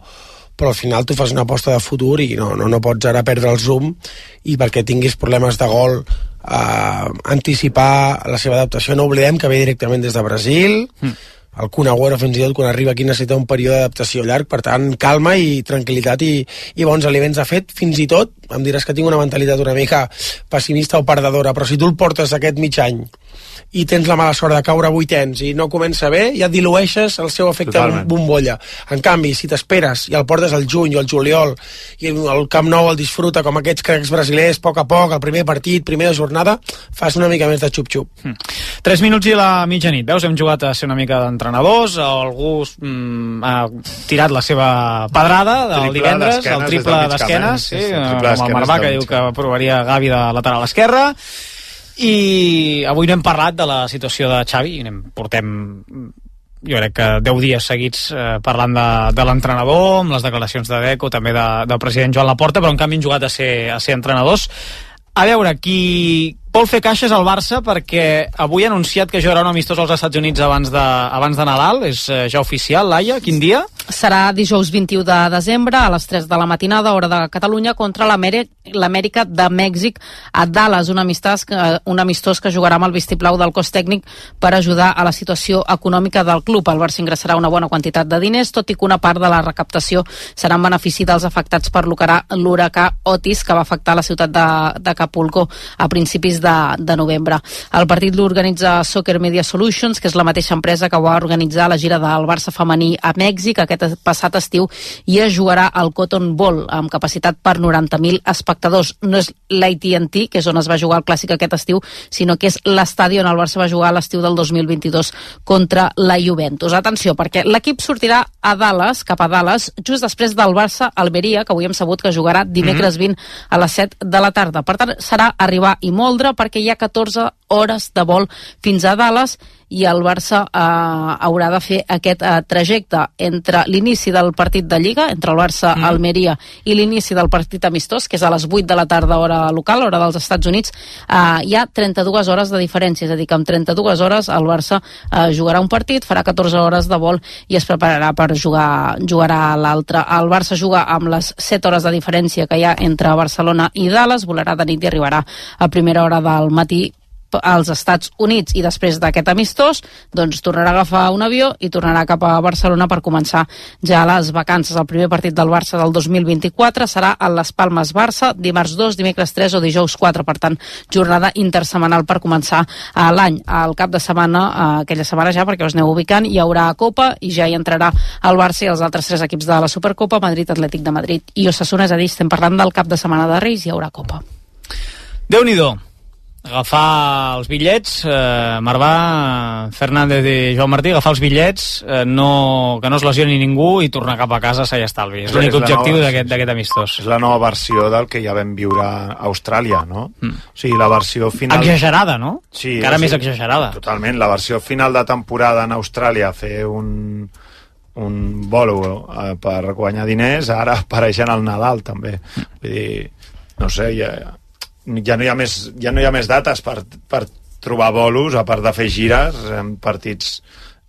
però al final tu fas una aposta de futur i no, no, no pots ara perdre el zoom i perquè tinguis problemes de gol uh, anticipar la seva adaptació. No oblidem que ve directament des de Brasil, mm. el Kun Agüero fins i tot quan arriba aquí necessita un període d'adaptació llarg, per tant calma i tranquil·litat i, i bons aliments. De fet, fins i tot em diràs que tinc una mentalitat una mica pessimista o perdedora, però si tu el portes aquest mig any i tens la mala sort de caure a vuitens i no comença bé, ja dilueixes el seu efecte Totalment. bombolla. En canvi, si t'esperes i el portes al juny o al juliol i el Camp Nou el disfruta com aquests cracs brasilers, a poc a poc, el primer partit, primera jornada, fas una mica més de xup-xup. Mm. Tres minuts i la mitjanit. Veus, hem jugat a ser una mica d'entrenadors, algú mm, ha tirat la seva pedrada del triple divendres, el triple d'esquenes, sí, sí, com el Marvà, que diu que provaria Gavi de lateral esquerra. I avui no hem parlat de la situació de Xavi, i portem jo crec que deu dies seguits eh, parlant de, de l'entrenador, amb les declaracions de Deco, també de, del president Joan Laporta, però en canvi han jugat a ser, a ser entrenadors. A veure, qui vol fer caixes al Barça, perquè avui ha anunciat que jugarà un amistós als Estats Units abans de, abans de Nadal, és eh, ja oficial. Laia, quin dia? Serà dijous vint-i-u de desembre a les tres de la matinada, hora de Catalunya, contra l'Amèrica de Mèxic a Dallas, un amistós, un amistós que jugarà amb el vistiplau del cos tècnic per ajudar a la situació econòmica del club. El Barça ingressarà una bona quantitat de diners, tot i que una part de la recaptació serà en benefici dels afectats per l'huracà Otis, que va afectar la ciutat d'Acapulco a principis de, de novembre. El partit l'organitza Soccer Media Solutions, que és la mateixa empresa que va organitzar la gira del Barça femení a Mèxic aquest passat estiu, i es jugarà al Cotton Bowl amb capacitat per noranta mil espectadors. No és l'A T and T, que és on es va jugar el clàssic aquest estiu, sinó que és l'estadi on el Barça va jugar l'estiu del dos mil vint-i-dos contra la Juventus. Atenció, perquè l'equip sortirà a Dallas, cap a Dallas, just després del Barça-Almeria, que avui hem sabut que jugarà dimecres vint a les set de la tarda. Per tant, serà arribar i moldre, perquè hi ha catorze hores de vol fins a Dallas, i el Barça eh, haurà de fer aquest eh, trajecte entre l'inici del partit de Lliga, entre el Barça-Almeria mm. i l'inici del partit amistós, que és a les vuit de la tarda hora local, hora dels Estats Units. Eh, hi ha trenta-dues hores de diferència, és a dir, que en trenta-dues hores el Barça eh, jugarà un partit, farà catorze hores de vol i es prepararà per jugar jugarà l'altre. El Barça juga amb les set hores de diferència que hi ha entre Barcelona i Dallas, volarà de nit i arribarà a primera hora del matí als Estats Units, i després d'aquest amistós doncs tornarà a agafar un avió i tornarà cap a Barcelona per començar ja les vacances. El primer partit del Barça del dos mil vint-i-quatre serà a Les Palmes Barça, dimarts dos, dimecres tres o dijous quatre, per tant jornada intersetmanal per començar l'any. Al cap de setmana, aquella setmana ja, perquè us aneu ubicant, hi haurà Copa i ja hi entrarà el Barça i els altres tres equips de la Supercopa, Madrid, Atlètic de Madrid i Osasuna. És a dir, estem parlant del cap de setmana de Reis, hi haurà Copa. Déu-n'hi-do. Agafar els bitllets, eh, Marvà, Fernández i Joan Martí, agafar els bitllets, eh, no, que no es lesioni ningú i tornar cap a casa s'ha estalvi. És l'únic objectiu d'aquest amistós. És la nova versió del que ja vam viure a Austràlia, no? Mm. O sigui, la versió final... Exagerada, no? Sí. Encara sí, més exagerada. Totalment. La versió final de temporada en Austràlia, fer un, un bolo eh, per guanyar diners, ara apareixen al Nadal, també. Vull dir, no sé, ja... ja no hi ha més, ja no hi ha més dates per, per trobar bolos, a part de fer gires en partits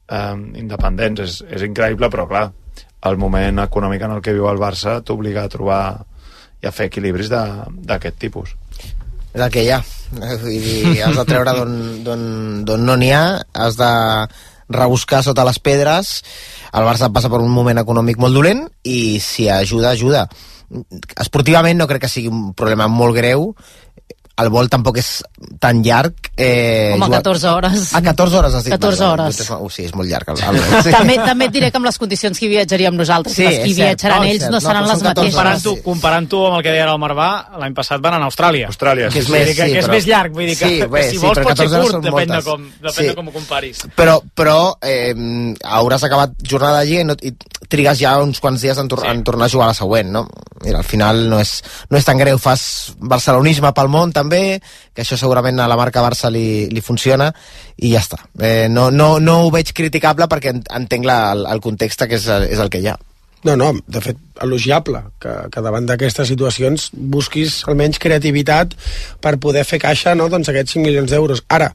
eh, independents. És, és increïble, però clar, el moment econòmic en el que viu el Barça t'obliga a trobar i a fer equilibris d'aquest tipus. És el que hi ha. Vull dir, has de treure d'on no n'hi ha, has de rebuscar sota les pedres. El Barça passa per un moment econòmic molt dolent i si ajuda, ajuda. Esportivament no crec que sigui un problema molt greu. El vol tampoc és tan llarg. Eh, Home, catorze hores. Ah, catorze hores has dit. catorze hores. Uh, sí, és molt llarg. El, el, sí. també, també et diré que amb les condicions que hi viatjaríem nosaltres, sí, les que hi viatjaran ells no, no seran no, les mateixes. Comparant-ho comparant amb el que deia el Marvà, l'any passat van anar a Austràlia. Austràlia, que és, sí, més, sí, que, que és però... més llarg, vull dir que, sí, bé, si vols sí, pot ser curt, depèn de com, depèn sí. de com ho comparis. Però, però eh, hauràs acabat jornada allí i, no, i trigues ja uns quants dies en, tor sí. en tornar a jugar a la següent, no? Mira, al final no és, no és tan greu. Fas barcelonisme pel món també, que això segurament a la marca Barça li, li funciona i ja està. Eh, no, no, no ho veig criticable perquè entenc la, el, el context que és, és el que hi ha. No, no, de fet, elogiable que, que davant d'aquestes situacions busquis almenys creativitat per poder fer caixa, no?, doncs aquests cinc milions d'euros. Ara,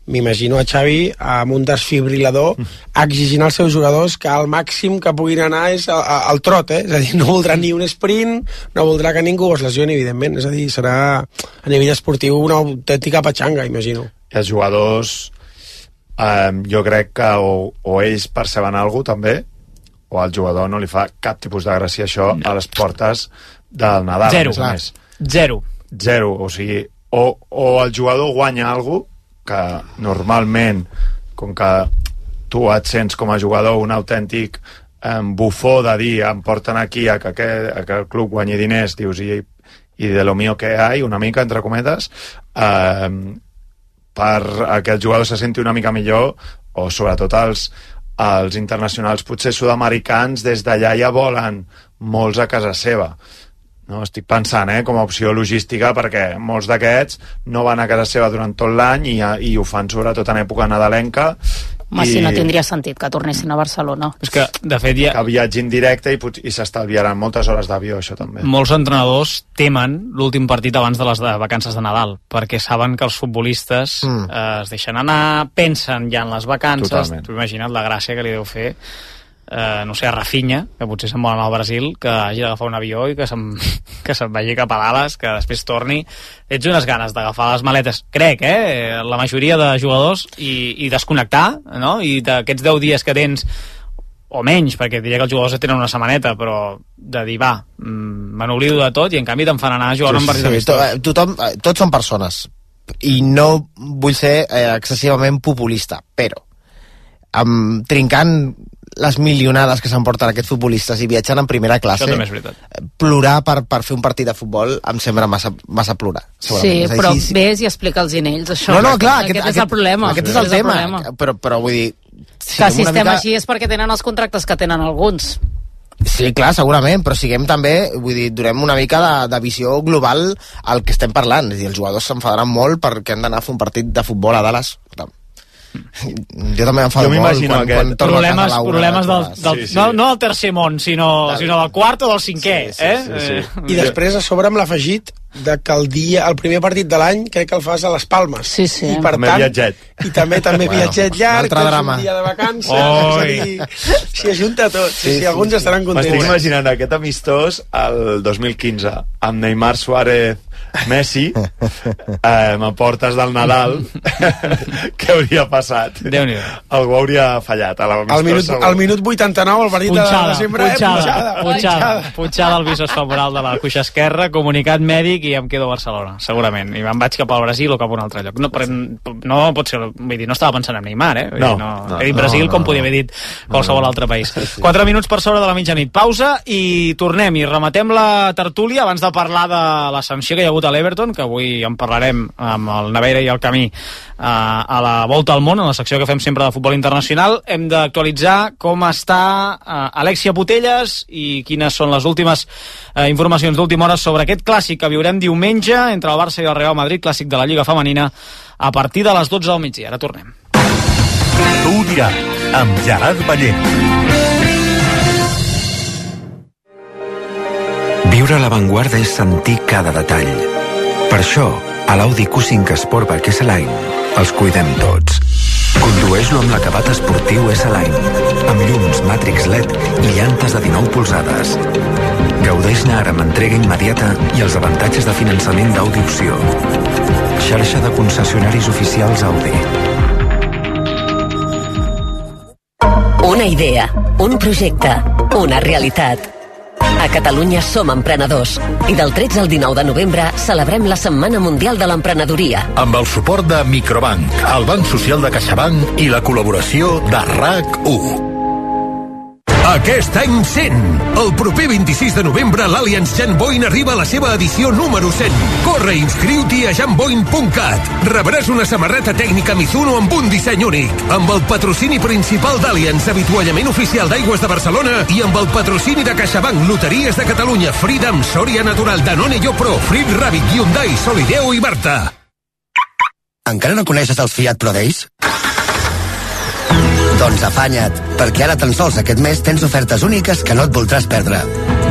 m'imagino a Xavi amb un desfibrilador exigint als seus jugadors que el màxim que puguin anar és al trot, eh? És a dir, no voldrà ni un sprint, no voldrà que ningú es lesioni, evidentment. És a dir, serà a nivell esportiu una autèntica patxanga, imagino. I els jugadors, eh, jo crec que o, o ells perceben alguna cosa també, o al jugador no li fa cap tipus de gràcia això a les portes del Nadal. Zero. A més. Zero. Zero. O sigui, o, o el jugador guanya alguna cosa que normalment, com que tu et sents com a jugador un autèntic eh, bufó de dir em porten aquí a que, aquest, a que el club guanyi diners, dius, i, i de lo mío que hay, una mica, entre cometes, eh, per a que el jugador se senti una mica millor, o sobretot els, els internacionals potser sud-americans des d'allà ja volen molts a casa seva. No, estic pensant, eh, com a opció logística, perquè molts d'aquests no van a casa seva durant tot l'any i, i ho fan sobretot en època nadalenca. Home, i... si no tindria sentit que tornessin a Barcelona. És que, de fet, ja... que viatgin directe i, i s'estalviaran moltes hores d'avió, això també. Molts entrenadors temen l'últim partit abans de les de vacances de Nadal, perquè saben que els futbolistes mm. eh, es deixen anar, pensen ja en les vacances. Totalment. Tu imagina't la gràcia que li deu fer Eh, no sé, a Rafinha, que potser se'n vol anar al Brasil, que hagi d'agafar un avió i que se'n que se'n vagi cap a Dallas, que després torni. Ets unes ganes d'agafar les maletes, crec, eh? La majoria de jugadors, i, i desconnectar, no? I d'aquests deu dies que tens, o menys, perquè diria que els jugadors tenen una setmaneta, però de dir, va, me n'oblido de tot, i en canvi te'n fan anar a jugar sí, un partit sí, to, tothom, tots són persones, i no vull ser eh, excessivament populista, però amb, trincant les milionades que s'emporten aquests futbolistes i viatjant en primera classe, plorar per, per fer un partit de futbol em sembla massa, massa plorar. Sí, però sí, sí. Ves i explica'ls inells això. No, no, clar, aquest, aquest, aquest és el problema. Aquest és el tema, però, però vull dir... Si que si estem mica... així és perquè tenen els contractes que tenen alguns. Sí, clar, segurament, però siguem també, vull dir, donem una mica de, de visió global al que estem parlant. És a dir, els jugadors s'enfadaran molt perquè han d'anar a fer un partit de futbol a Dallas. Jo també m'enfado molt quan, quan torno problemes, a casa a la problemes del, del, sí, sí. No, no del tercer món, sinó, sinó del quart o del cinquè, sí, sí, eh? Sí, sí, sí. I després a sobre amb l'afegit de que el dia, el primer partit de l'any crec que el fas a les Palmes. Sí, sí. I per també tant, viatget. I també també bueno, viatget llarg, que és un dia de vacances, és a dir, s'hi ajunta tot. Sí, sí, sí, alguns sí, estaran contents. M'estic imaginant aquest amistós el dos mil quinze, amb Neymar, Suárez, Messi, eh, m'aportes del Nadal, què hauria passat? Déu-n'hi-do. Algú hauria fallat. A la al, minut, al minut vuitanta-nou, el partit punxada, de sempre, punxada, eh? Punxada, punxada, punxada al visor femoral de la cuixa esquerra, comunicat mèdic i em quedo a Barcelona, segurament. I me'n vaig cap al Brasil o cap a un altre lloc. No, però, no pot ser, vull dir, no estava pensant en Neymar, eh? Vull no, dir, no, no, he dit no, Brasil no, com podia haver dit qualsevol no, no. altre país. Quatre minuts per sobre de la mitjanit. Pausa i tornem i rematem la tertúlia abans de parlar de la sanció que hi ha hagut a l'Everton, que avui en parlarem amb el Naveira i el Camí uh, a la Volta al Món, en la secció que fem sempre de futbol internacional. Hem d'actualitzar com està uh, Alexia Putellas i quines són les últimes uh, informacions d'última hora sobre aquest clàssic que viurem diumenge entre el Barça i el Real Madrid, clàssic de la Lliga Femenina, a partir de les dotze del migdia. Ara tornem. Tu ho diràs, amb Gerard Ballent. Viure a l'avantguarda és sentir cada detall. Per això, a l'Audi Q cinc Sportback S-Line els cuidem tots. Condueix-lo amb l'acabat esportiu S-Line, amb llums Matrix L E D i llantes de dinou polzades. Gaudeix-ne ara amb entrega immediata i els avantatges de finançament d'Audi Opció. Xarxa de concessionaris oficials Audi. Una idea, un projecte, una realitat. A Catalunya som emprenedors i del tretze al dinou de novembre celebrem la Setmana Mundial de l'Emprenedoria. Amb el suport de Microbank, el Banc Social de CaixaBank i la col·laboració de R A C u. Aquest any cent! El proper vint-i-sis de novembre l'Allianz Jan Boyn arriba a la seva edició número cent. Corre i inscriu-t'hi a jan boyn punt cat. Rebràs una samarreta tècnica Mizuno amb un disseny únic, amb el patrocini principal d'Allianz, avituallament oficial d'Aigües de Barcelona i amb el patrocini de CaixaBank, Loteries de Catalunya, Freedom, Soria Natural, Danone Yopro, Frit Rabbit, Hyundai, Solideo i Marta. Encara no coneixes els Fiat Pro Days? Doncs afanya't, perquè ara tan sols aquest mes tens ofertes úniques que no et voldràs perdre.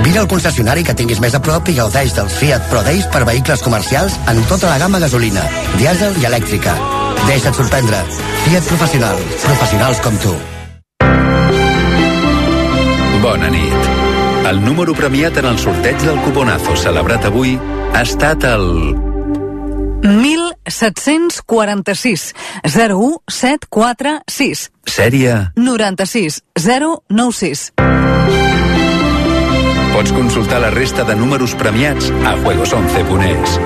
Vine al concessionari que tinguis més a prop i gaudeix dels Fiat Pro Days per vehicles comercials en tota la gamma gasolina, dièsel i elèctrica. Deixa't sorprendre. Fiat Professional. Professionals com tu. Bona nit. El número premiat en el sorteig del cuponazo celebrat avui ha estat el... mil set-cents quaranta-sis zero u set quatre sis. Sèrie noranta-sis zero nou sis. Pots consultar la resta de números premiats a juegos once punt es.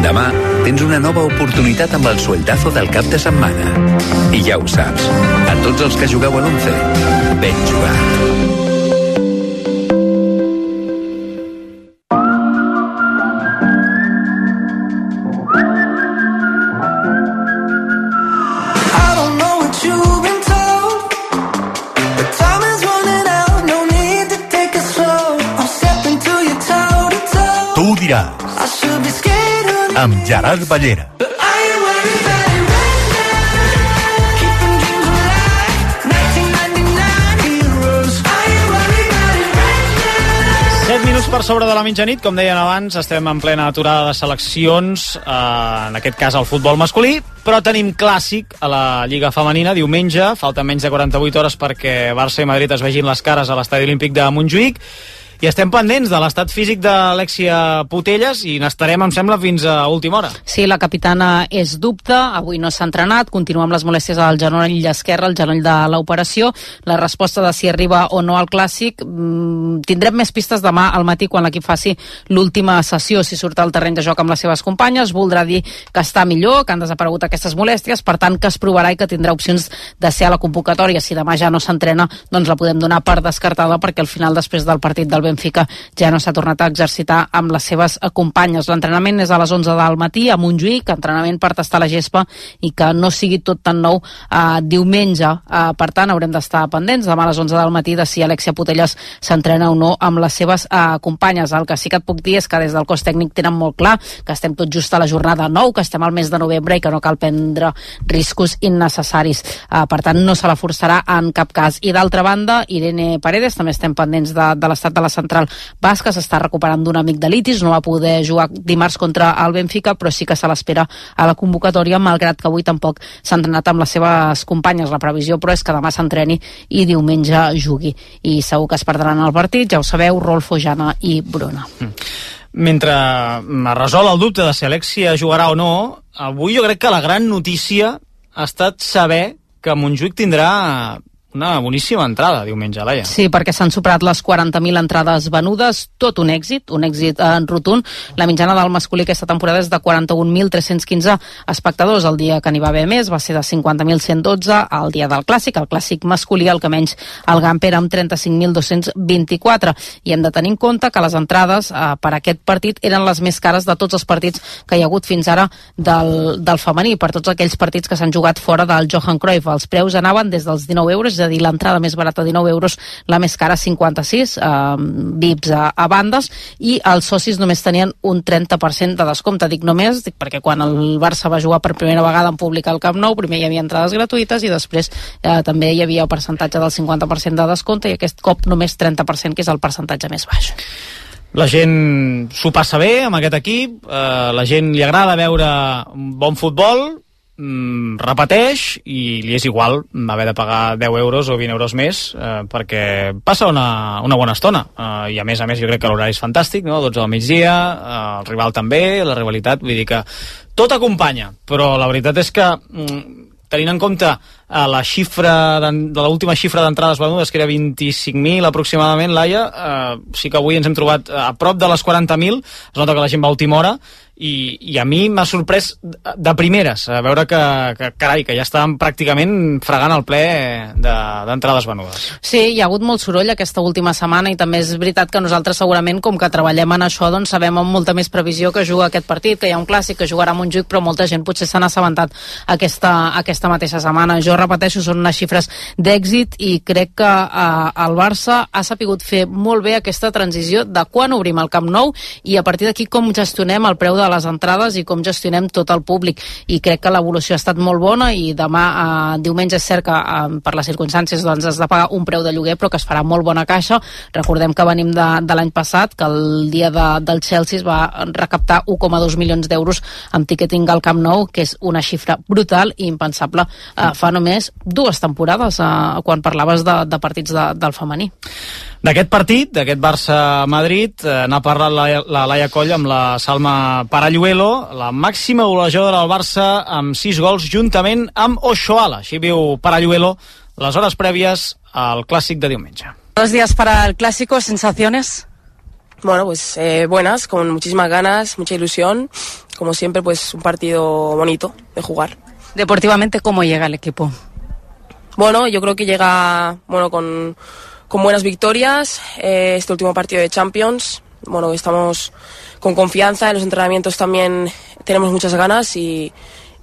Demà tens una nova oportunitat amb el sueldazo del cap de setmana. I ja ho saps, a tots els que jugueu a l'once, ben jugat. Amb Gerard Ballera. set minuts per sobre de la mitjanit, com deien abans, estem en plena aturada de seleccions, eh, en aquest cas al futbol masculí, però tenim clàssic a la Lliga Femenina diumenge, falten menys de quaranta-vuit hores perquè Barça i Madrid es vegin les cares a l'Estadi Olímpic de Montjuïc. I estem pendents de l'estat físic d'Alexia Putellas i n'estarem, em sembla, fins a última hora. Sí, la capitana és dubte, avui no s'ha entrenat, continua amb les molèsties al genoll esquerre, el genoll de l'operació. La resposta de si arriba o no al clàssic mmm, tindrem més pistes demà al matí quan l'equip faci l'última sessió, si surt al terreny de joc amb les seves companyes. Voldrà dir que està millor, que han desaparegut aquestes molèsties, per tant que es provarà i que tindrà opcions de ser a la convocatòria. Si demà ja no s'entrena, doncs la podem donar per descartada, perquè al final, després del partit del Benfica, ja no s'ha tornat a exercitar amb les seves companyes. L'entrenament és a les onze del matí a Montjuïc, entrenament per tastar la gespa i que no sigui tot tan nou eh, diumenge. Eh, per tant, haurem d'estar pendents demà a les onze del matí de si Alexia Putellas s'entrena o no amb les seves eh, companyes. El que sí que et puc dir és que des del cos tècnic tenen molt clar que estem tot just a la jornada nou, que estem al mes de novembre i que no cal prendre riscos innecessaris. Eh, per tant, no se la forçarà en cap cas. I d'altra banda, Irene Paredes, també estem pendents de, de l'estat de la central basca, s'està recuperant d'un amic de litis, no va poder jugar dimarts contra el Benfica, però sí que se l'espera a la convocatòria, malgrat que avui tampoc s'ha entrenat amb les seves companyes. La previsió, però, és que demà s'entreni i diumenge jugui. I segur que es perdran el partit, ja ho sabeu, Rolfo, Jana i Bruna. Mm. mentre es resol el dubte de si Alexia jugarà o no, avui jo crec que la gran notícia ha estat saber que Montjuïc tindrà una boníssima entrada diumenge, Laia. Sí, perquè s'han superat les quaranta mil entrades venudes, tot un èxit, un èxit en rotund. La mitjana del masculí aquesta temporada és de quaranta-un mil tres-cents quinze espectadors. El dia que n'hi va haver més va ser de cinquanta mil cent dotze el dia del clàssic, el clàssic masculí, el que menys el Gamper amb trenta-cinc mil dos-cents vint-i-quatre. I hem de tenir en compte que les entrades eh, per aquest partit eren les més cares de tots els partits que hi ha hagut fins ara del, del femení, per tots aquells partits que s'han jugat fora del Johan Cruyff. Els preus anaven des dels dinou euros, és a dir, l'entrada més barata dinou euros, la més cara cinquanta-sis, eh, V I Ps a, a bandes, i els socis només tenien un trenta per cent de descompte. Dic només, dic perquè quan el Barça va jugar per primera vegada en públic al Camp Nou, primer hi havia entrades gratuïtes i després eh, també hi havia el percentatge del cinquanta per cent de descompte, i aquest cop només trenta per cent, que és el percentatge més baix. La gent s'ho passa bé amb aquest equip, eh, la gent li agrada veure un bon futbol, Mm, repeteix i li és igual haver de pagar deu euros o vint euros més eh, perquè passa una, una bona estona eh, i a més a més jo crec que l'horari és fantàstic, no? dotze del migdia, eh, el rival també, la rivalitat, vull dir que tot acompanya, però la veritat és que mm, tenint en compte eh, la xifra de, de l'última xifra d'entrades venudes, que era vint-i-cinc mil aproximadament, Laia, eh, sí que avui ens hem trobat a prop de les quaranta mil, es nota que la gent va a última hora, i, i a mi m'ha sorprès de primeres a veure que, que carai, que ja estàvem pràcticament fregant el ple d'entrades de, venudes. Sí, hi ha hagut molt soroll aquesta última setmana, i també és veritat que nosaltres segurament, com que treballem en això, doncs sabem amb molta més previsió que juga aquest partit, que hi ha un clàssic, que jugarà a Montjuïc, però molta gent potser s'han assabentat aquesta, aquesta mateixa setmana. Jo repeteixo, són unes xifres d'èxit, i crec que eh, el Barça ha sapigut fer molt bé aquesta transició de quan obrim el Camp Nou i a partir d'aquí com gestionem el preu de les entrades i com gestionem tot el públic, i crec que l'evolució ha estat molt bona, i demà eh, diumenge és cert que eh, per les circumstàncies doncs has de pagar un preu de lloguer, però que es farà molt bona caixa. Recordem que venim de, de l'any passat, que el dia de, del Chelsea es va recaptar un coma dos milions d'euros amb ticketing al Camp Nou, que és una xifra brutal i impensable eh, fa només dues temporades, eh, quan parlaves de, de partits de, del femení. D'aquest partit, d'aquest Barça-Madrid, eh, n'ha parlat la, la Laia Coll amb la Salma Paralluelo, la màxima golejadora del Barça amb sis gols juntament amb Oshoala. Així viu Paralluelo les hores prèvies al clàssic de diumenge. Dos días para el clásico, ¿sensaciones? Bueno, pues eh, buenas, con muchísimas ganas, mucha ilusión. Como siempre, pues un partido bonito de jugar. Deportivamente, ¿cómo llega el equipo? Bueno, yo creo que llega bueno con, con buenas victorias. Eh, este último partido de Champions, bueno, estamos con confianza, en los entrenamientos también tenemos muchas ganas y,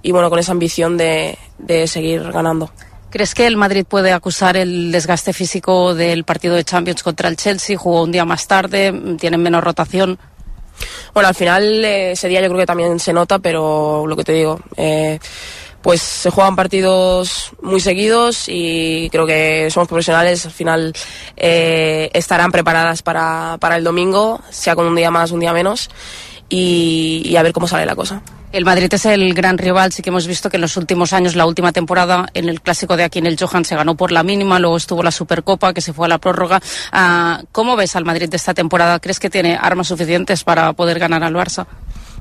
y bueno, con esa ambición de, de seguir ganando. ¿Crees que el Madrid puede acusar el desgaste físico del partido de Champions contra el Chelsea? Jugó un día más tarde, tienen menos rotación. Bueno, al final eh, ese día yo creo que también se nota, pero lo que te digo, eh, pues se juegan partidos muy seguidos y creo que somos profesionales, al final eh, estarán preparadas para, para el domingo, sea con un día más, un día menos, y, y a ver cómo sale la cosa. El Madrid es el gran rival, sí que hemos visto que en los últimos años, la última temporada, en el clásico de aquí en el Johan se ganó por la mínima, luego estuvo la Supercopa que se fue a la prórroga. Uh, ¿Cómo ves al Madrid de esta temporada? ¿Crees que tiene armas suficientes para poder ganar al Barça?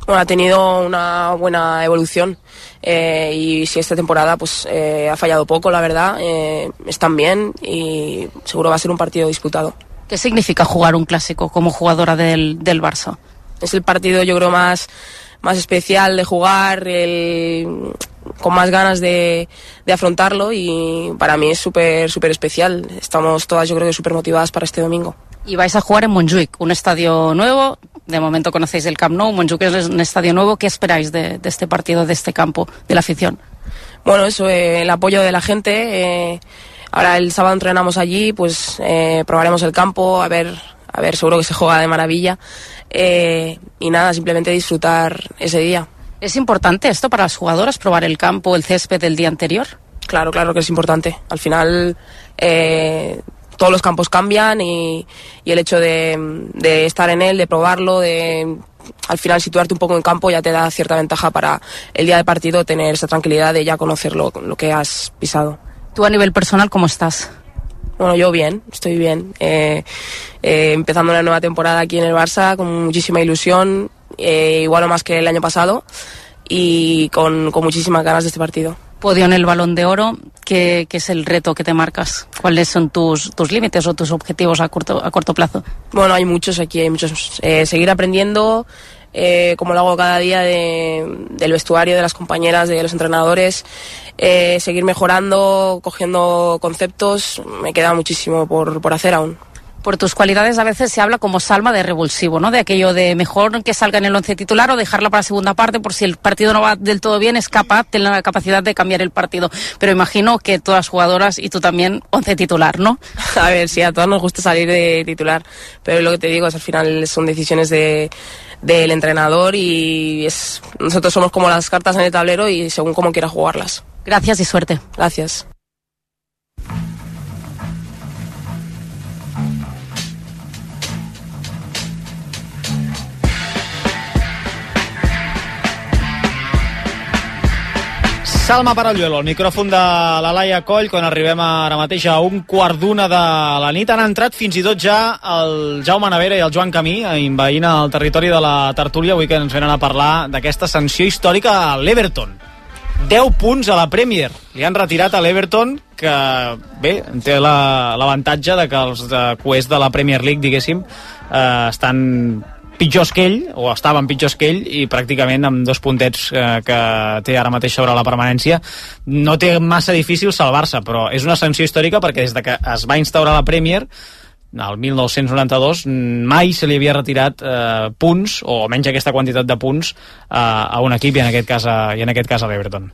Bueno, ha tenido una buena evolución eh, y si esta temporada pues eh, ha fallado poco, la verdad, eh, están bien y seguro va a ser un partido disputado. ¿Qué significa jugar un clásico como jugadora del, del Barça? Es el partido yo creo más... más especial de jugar, el, con más ganas de, de afrontarlo y para mí es súper súper especial. Estamos todas yo creo que súper motivadas para este domingo. Y vais a jugar en Montjuïc, un estadio nuevo, de momento conocéis el Camp Nou, Montjuïc es un estadio nuevo. ¿Qué esperáis de, de este partido, de este campo, de la afición? Bueno, eso, eh, el apoyo de la gente. Eh, ahora el sábado entrenamos allí, pues eh, probaremos el campo, a ver, a ver, seguro que se juega de maravilla. Eh, y nada, simplemente disfrutar ese día. ¿Es importante esto para las jugadoras, probar el campo, el césped del día anterior? Claro, claro que es importante. Al final eh, todos los campos cambian y, y el hecho de, de estar en él, de probarlo, de al final situarte un poco en campo ya te da cierta ventaja para el día de partido tener esa tranquilidad de ya conocer lo, lo que has pisado. ¿Tú a nivel personal cómo estás? Bueno, yo bien, estoy bien. Eh, eh, empezando una nueva temporada aquí en el Barça con muchísima ilusión, eh, igual o más que el año pasado, y con, con muchísimas ganas de este partido. Podio en el Balón de Oro, ¿qué, qué es el reto que te marcas? ¿Cuáles son tus, tus límites o tus objetivos a corto, a corto plazo? Bueno, hay muchos aquí, hay muchos. Eh, seguir aprendiendo, eh, como lo hago cada día, de, del vestuario, de las compañeras, de los entrenadores, eh, seguir mejorando, cogiendo conceptos. Me queda muchísimo por, por hacer aún. Por tus cualidades a veces se habla como salva de revulsivo, ¿no? De aquello de mejor que salga en el once titular o dejarla para la segunda parte, por si el partido no va del todo bien, es capaz, tiene la capacidad de cambiar el partido. Pero imagino que todas las jugadoras y tú también once titular, ¿no? A ver, sí, a todas nos gusta salir de titular, pero lo que te digo es al final son decisiones de del entrenador y es nosotros somos como las cartas en el tablero y según cómo quiera jugarlas. Gracias y suerte. Gracias. Salma Paralluelo, el micròfon de la Laia Coll, quan arribem ara mateix a un quart d'una de la nit. Han entrat fins i tot ja el Jaume Navera i el Joan Camí, envaint el territori de la tertúlia, avui que ens venen a parlar d'aquesta sanció històrica a l'Everton. deu punts a la Premier. Li han retirat a l'Everton, que bé, té l'avantatge la, de que els de Quest de la Premier League, diguéssim, eh, estan pitjors que ell, o estaven pitjors que ell, i pràcticament amb dos puntets eh, que té ara mateix sobre la permanència, no té massa difícil salvar-se, però és una sanció històrica perquè des de que es va instaurar la Premier, el mil nou-cents noranta-dos, mai se li havia retirat eh, punts, o almenys aquesta quantitat de punts, eh, a un equip, i en aquest cas a, i en aquest cas a l'Everton.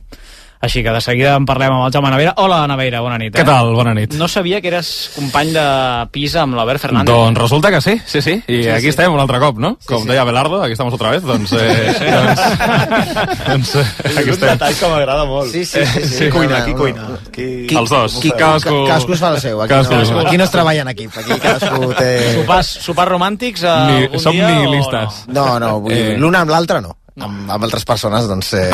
Així que de seguida en parlem amb el Jaume Navera. Hola, Navera, bona nit. Eh? Què tal? Bona nit. No sabia que eres company de pis amb l'Albert Fernández. Doncs resulta que sí, sí, sí. I sí, aquí sí. estem un altre cop, no? Sí, Com sí. deia Abelardo, aquí estamos otra vez, doncs... Eh, Sí. doncs, doncs eh, aquí un estem. detall que m'agrada molt. Sí, sí, sí, sí. Qui cuina, No, qui no, cuina? no. Qui... Els dos. Qui, Cadascú... cadascú es fa el seu. Aquí, Cadascú. no, aquí no es treballa en equip. Aquí cadascú té... Sopars, sopars romàntics eh, Ni, algun som dia nihilistes. o no? No, no, vull dir, Eh. l'una amb l'altra no. Amb, amb altres persones, doncs... Eh...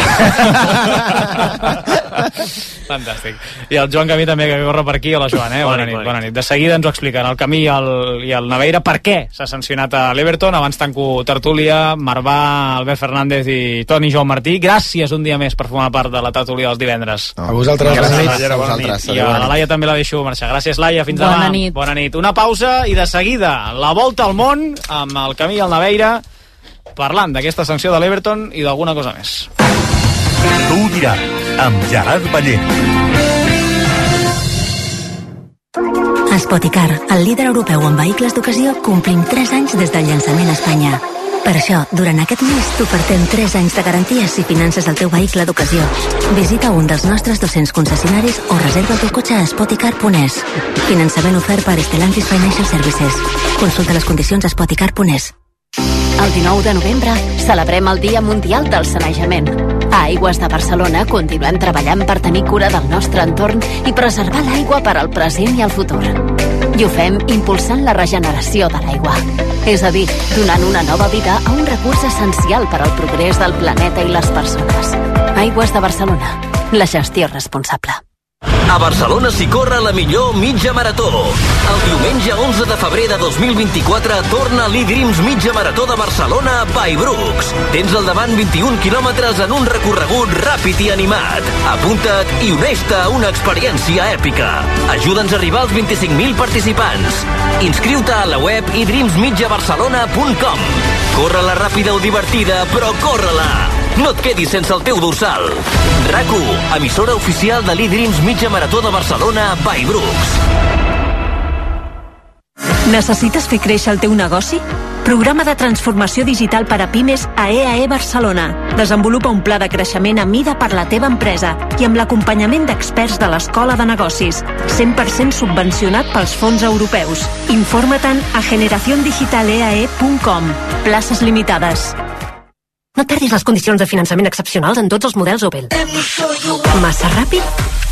Fantàstic. I el Joan Camí també, que corre per aquí. Hola, Joan, eh? Bona, bona, nit, bona nit. De seguida ens ho expliquen el Camí i el, i el Naveira per què s'ha sancionat a l'Everton. Abans tanco tertúlia, Marvà, Albert Fernández i Toni Joan Martí. Gràcies un dia més per formar part de la tertúlia dels divendres. A vosaltres. Gràcies, Bona nit. a vosaltres. I a la Laia també la deixo marxar. Gràcies, Laia. Fins Bona demà. nit. Bona nit. Una pausa i de seguida la volta al món amb el Camí i el Naveira parlant d'aquesta sanció de l'Everton i d'alguna cosa més. Tu ho diràs, amb Gerard Ballent. Spoticar, el líder europeu en vehicles d'ocasió, complim tres anys des del llançament a Espanya. Per això, durant aquest mes t'ofertem tres anys de garanties si finances el teu vehicle d'ocasió. Visita un dels nostres dos-cents concessionaris o reserva el teu cotxe a spoticar punt es. Finançament ofert per Stellantis Financial Services. Consulta les condicions a spoticar punt es. El dinou de novembre celebrem el Dia Mundial del Sanejament. A Aigües de Barcelona continuem treballant per tenir cura del nostre entorn i preservar l'aigua per al present i el futur. I ho fem impulsant la regeneració de l'aigua. És a dir, donant una nova vida a un recurs essencial per al progrés del planeta i les persones. Aigües de Barcelona. La gestió responsable. A Barcelona s'hi corre la millor mitja marató. El diumenge onze de febrer de dos mil vint-i-quatre torna l'e-Dreams Mitja Marató de Barcelona by Brooks. Tens al davant vint-i-un quilòmetres en un recorregut ràpid i animat. Apunta't i uneix-te a una experiència èpica. Ajuda'ns a arribar als vint-i-cinc mil participants. Inscriu-te a la web i dreams mitja barcelona punt com. Corre-la ràpida o divertida, però corre-la! No et quedis sense el teu dorsal. RAC u, emissora oficial de l'e-Dreams Mitja Marató de Barcelona by Brooks. Necessites fer créixer el teu negoci? Programa de transformació digital per a pimes a E A E Barcelona. Desenvolupa un pla de creixement a mida per la teva empresa i amb l'acompanyament d'experts de l'Escola de Negocis. cent per cent subvencionat pels fons europeus. Informa-te'n a generación digital e a e punt com. Places limitades. No et perdis les condicions de finançament excepcionals en tots els models Opel. Massa ràpid?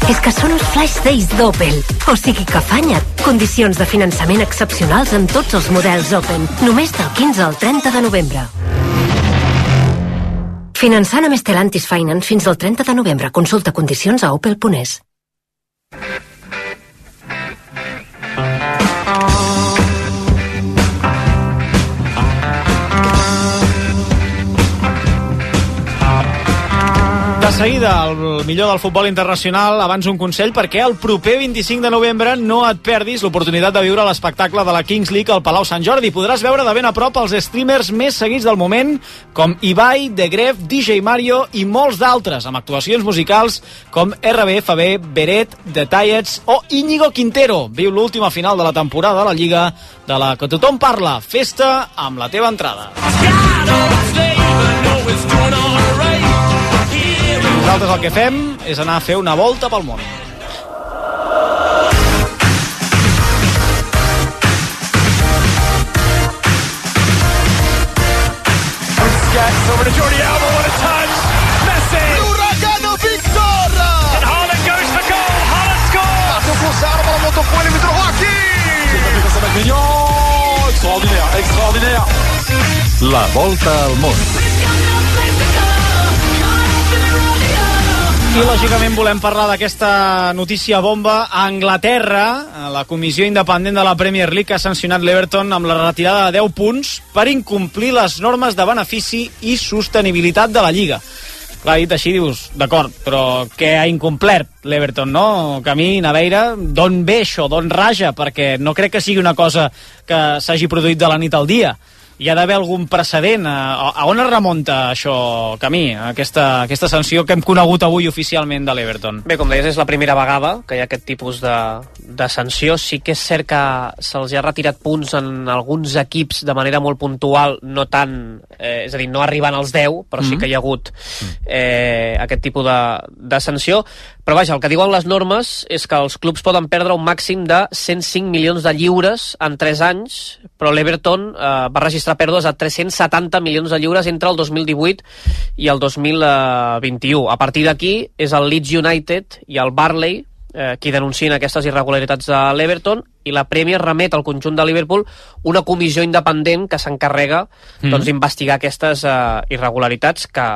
És que són els Flash Days d'Opel. O sigui que afanya't. Condicions de finançament excepcionals en tots els models Opel. Només del quinze al trenta de novembre. Finançant amb Stellantis Finance fins al trenta de novembre. Consulta condicions a opel punt es. seguida, el millor del futbol internacional. Abans un consell, perquè el proper vint-i-cinc de novembre no et perdis l'oportunitat de viure l'espectacle de la Kings League al Palau Sant Jordi. Podràs veure de ben a prop els streamers més seguits del moment, com Ibai, The Gref, D J Mario i molts d'altres, amb actuacions musicals com R B F B, Beret, The Tiets o Íñigo Quintero. Viu l'última final de la temporada de la Lliga, de la que tothom parla. Festa amb la teva entrada. Nosaltres el que fem és anar a fer una volta pel món. Over to Jordi Alba, what a touch! Messi! L'Uragano Victor! And Haaland goes for goal, Haaland scores! Attention cruzado para Motofuel, il trova aquí! Extraordinaire, extraordinaire! La volta al món. I, lògicament, volem parlar d'aquesta notícia bomba. A Anglaterra, la comissió independent de la Premier League ha sancionat l'Everton amb la retirada de deu punts per incomplir les normes de benefici i sostenibilitat de la Lliga. Clar, dit així, dius, d'acord, però què ha incomplert l'Everton, no? Camí, Naveira, d'on ve això, d'on raja? Perquè no crec que sigui una cosa que s'hagi produït de la nit al dia. Hi ha d'haver algun precedent. A, a on es remunta això, Camí, aquesta, aquesta sanció que hem conegut avui oficialment de l'Everton? Bé, com deies, és la primera vegada que hi ha aquest tipus de, de sanció. Sí que és cert que se'ls ha retirat punts en alguns equips de manera molt puntual, no tant, eh, és a dir, no arribant als deu, però sí que hi ha hagut eh, aquest tipus de, de sanció. Però vaja, el que diuen les normes és que els clubs poden perdre un màxim de cent cinc milions de lliures en tres anys, però l'Everton eh, va registrar pèrdues a tres-cents setanta milions de lliures entre el dos mil divuit i el dos mil vint-i-u. A partir d'aquí és el Leeds United i el Burnley eh, qui denuncien aquestes irregularitats de l'Everton, i la Premier remet al conjunt de Liverpool una comissió independent que s'encarrega mm. doncs, d'investigar aquestes eh, irregularitats que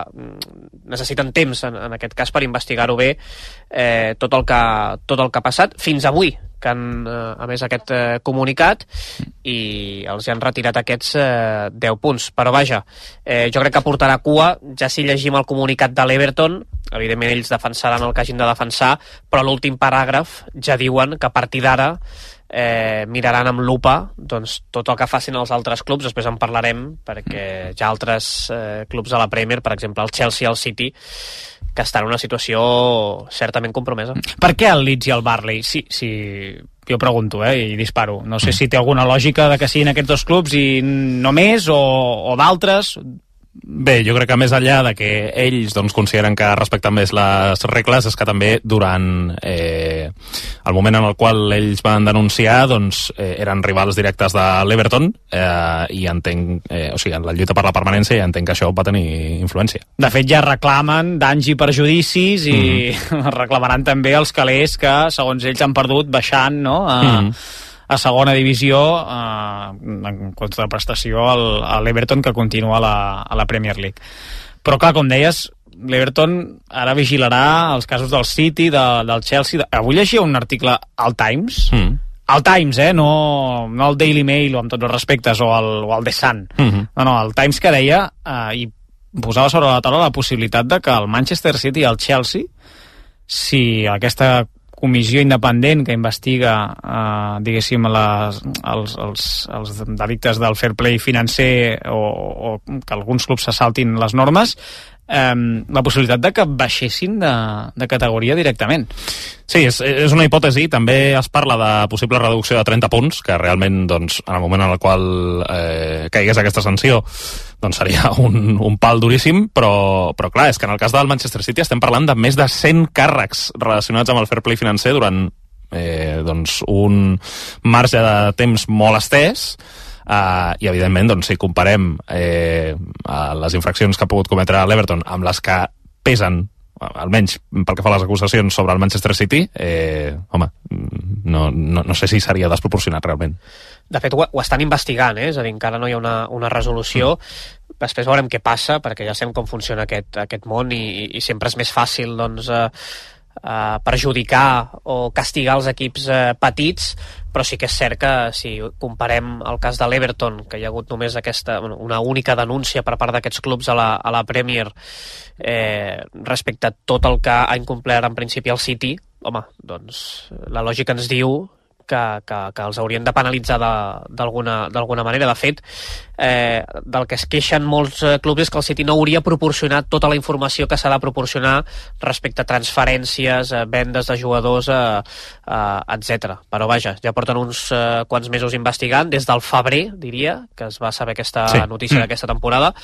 necessiten temps, en, en aquest cas, per investigar-ho bé eh, tot, el que, tot el que ha passat fins avui, que han eh, emès aquest eh, comunicat i els han retirat aquests eh, deu punts. Però vaja, eh, jo crec que portarà cua, ja si llegim el comunicat de l'Everton, evidentment ells defensaran el que hagin de defensar, però l'últim paràgraf ja diuen que a partir d'ara eh, miraran amb lupa doncs, tot el que facin els altres clubs. Després en parlarem, perquè hi ha altres eh, clubs a la Premier, per exemple el Chelsea i el City, que estan en una situació certament compromesa. Per què el Leeds i el Burnley? Sí, sí, jo pregunto, eh, i disparo. No sé si té alguna lògica de que siguin aquests dos clubs i no més, o, o d'altres. Bé, jo crec que més enllà de que ells doncs, consideren que respecten més les regles, és que també durant eh, el moment en el qual ells van denunciar doncs, eh, eren rivals directes de l'Everton eh, i entenc, eh, o sigui, en la lluita per la permanència, i entenc que això va tenir influència. De fet, ja reclamen danys i perjudicis i mm-hmm. reclamaran també els calés que, segons ells, han perdut baixant, no?, a... Mm-hmm. a segona divisió eh, en contraprestació al, a l'Everton, que continua a la, a la Premier League. Però clar, com deies, l'Everton ara vigilarà els casos del City, de, del Chelsea. De... Avui llegia un article al Times, mm. al Times, eh? no, no el Daily Mail, o amb tots els respectes, o el, o el The Sun. Mm-hmm. No, no, el Times, que deia eh, i posava sobre la taula la possibilitat de que el Manchester City i el Chelsea, si aquesta comissió independent que investiga eh, diguéssim les, els, els, els delictes del fair play financer, o, o que alguns clubs se saltin les normes, eh, la possibilitat de que baixessin de, de categoria directament. Sí, és, és una hipòtesi. També es parla de possible reducció de trenta punts, que realment, doncs, en el moment en el qual eh, caigués aquesta sanció, doncs seria un, un pal duríssim, però, però clar, és que en el cas del Manchester City estem parlant de més de cent càrrecs relacionats amb el fair play financer durant eh, doncs un marge de temps molt estès, eh, i evidentment, doncs, si comparem eh, les infraccions que ha pogut cometre l'Everton amb les que pesen, almenys pel que fa a les acusacions sobre el Manchester City, eh, home, no, no, no sé si seria desproporcionat realment. De fet, ho, ho estan investigant, eh? És a dir, encara no hi ha una, una resolució. Mm. Després veurem què passa, perquè ja sabem com funciona aquest, aquest món, i, i sempre és més fàcil doncs, eh, eh, perjudicar o castigar els equips eh, petits, però sí que és cert que si comparem el cas de l'Everton, que hi ha hagut només aquesta, bueno, una única denúncia per part d'aquests clubs a la, a la Premier eh, respecte a tot el que ha incomplert en principi el City, home, doncs la lògica ens diu que, que, que els haurien de penalitzar d'alguna manera. De fet, eh, del que es queixen molts eh, clubs és que el City no hauria proporcionat tota la informació que s'ha de proporcionar respecte a transferències, eh, vendes de jugadors, eh, eh, etcètera. Però vaja, ja porten uns eh, quants mesos investigant, des del febrer, diria, que es va saber aquesta sí. notícia mm. d'aquesta temporada,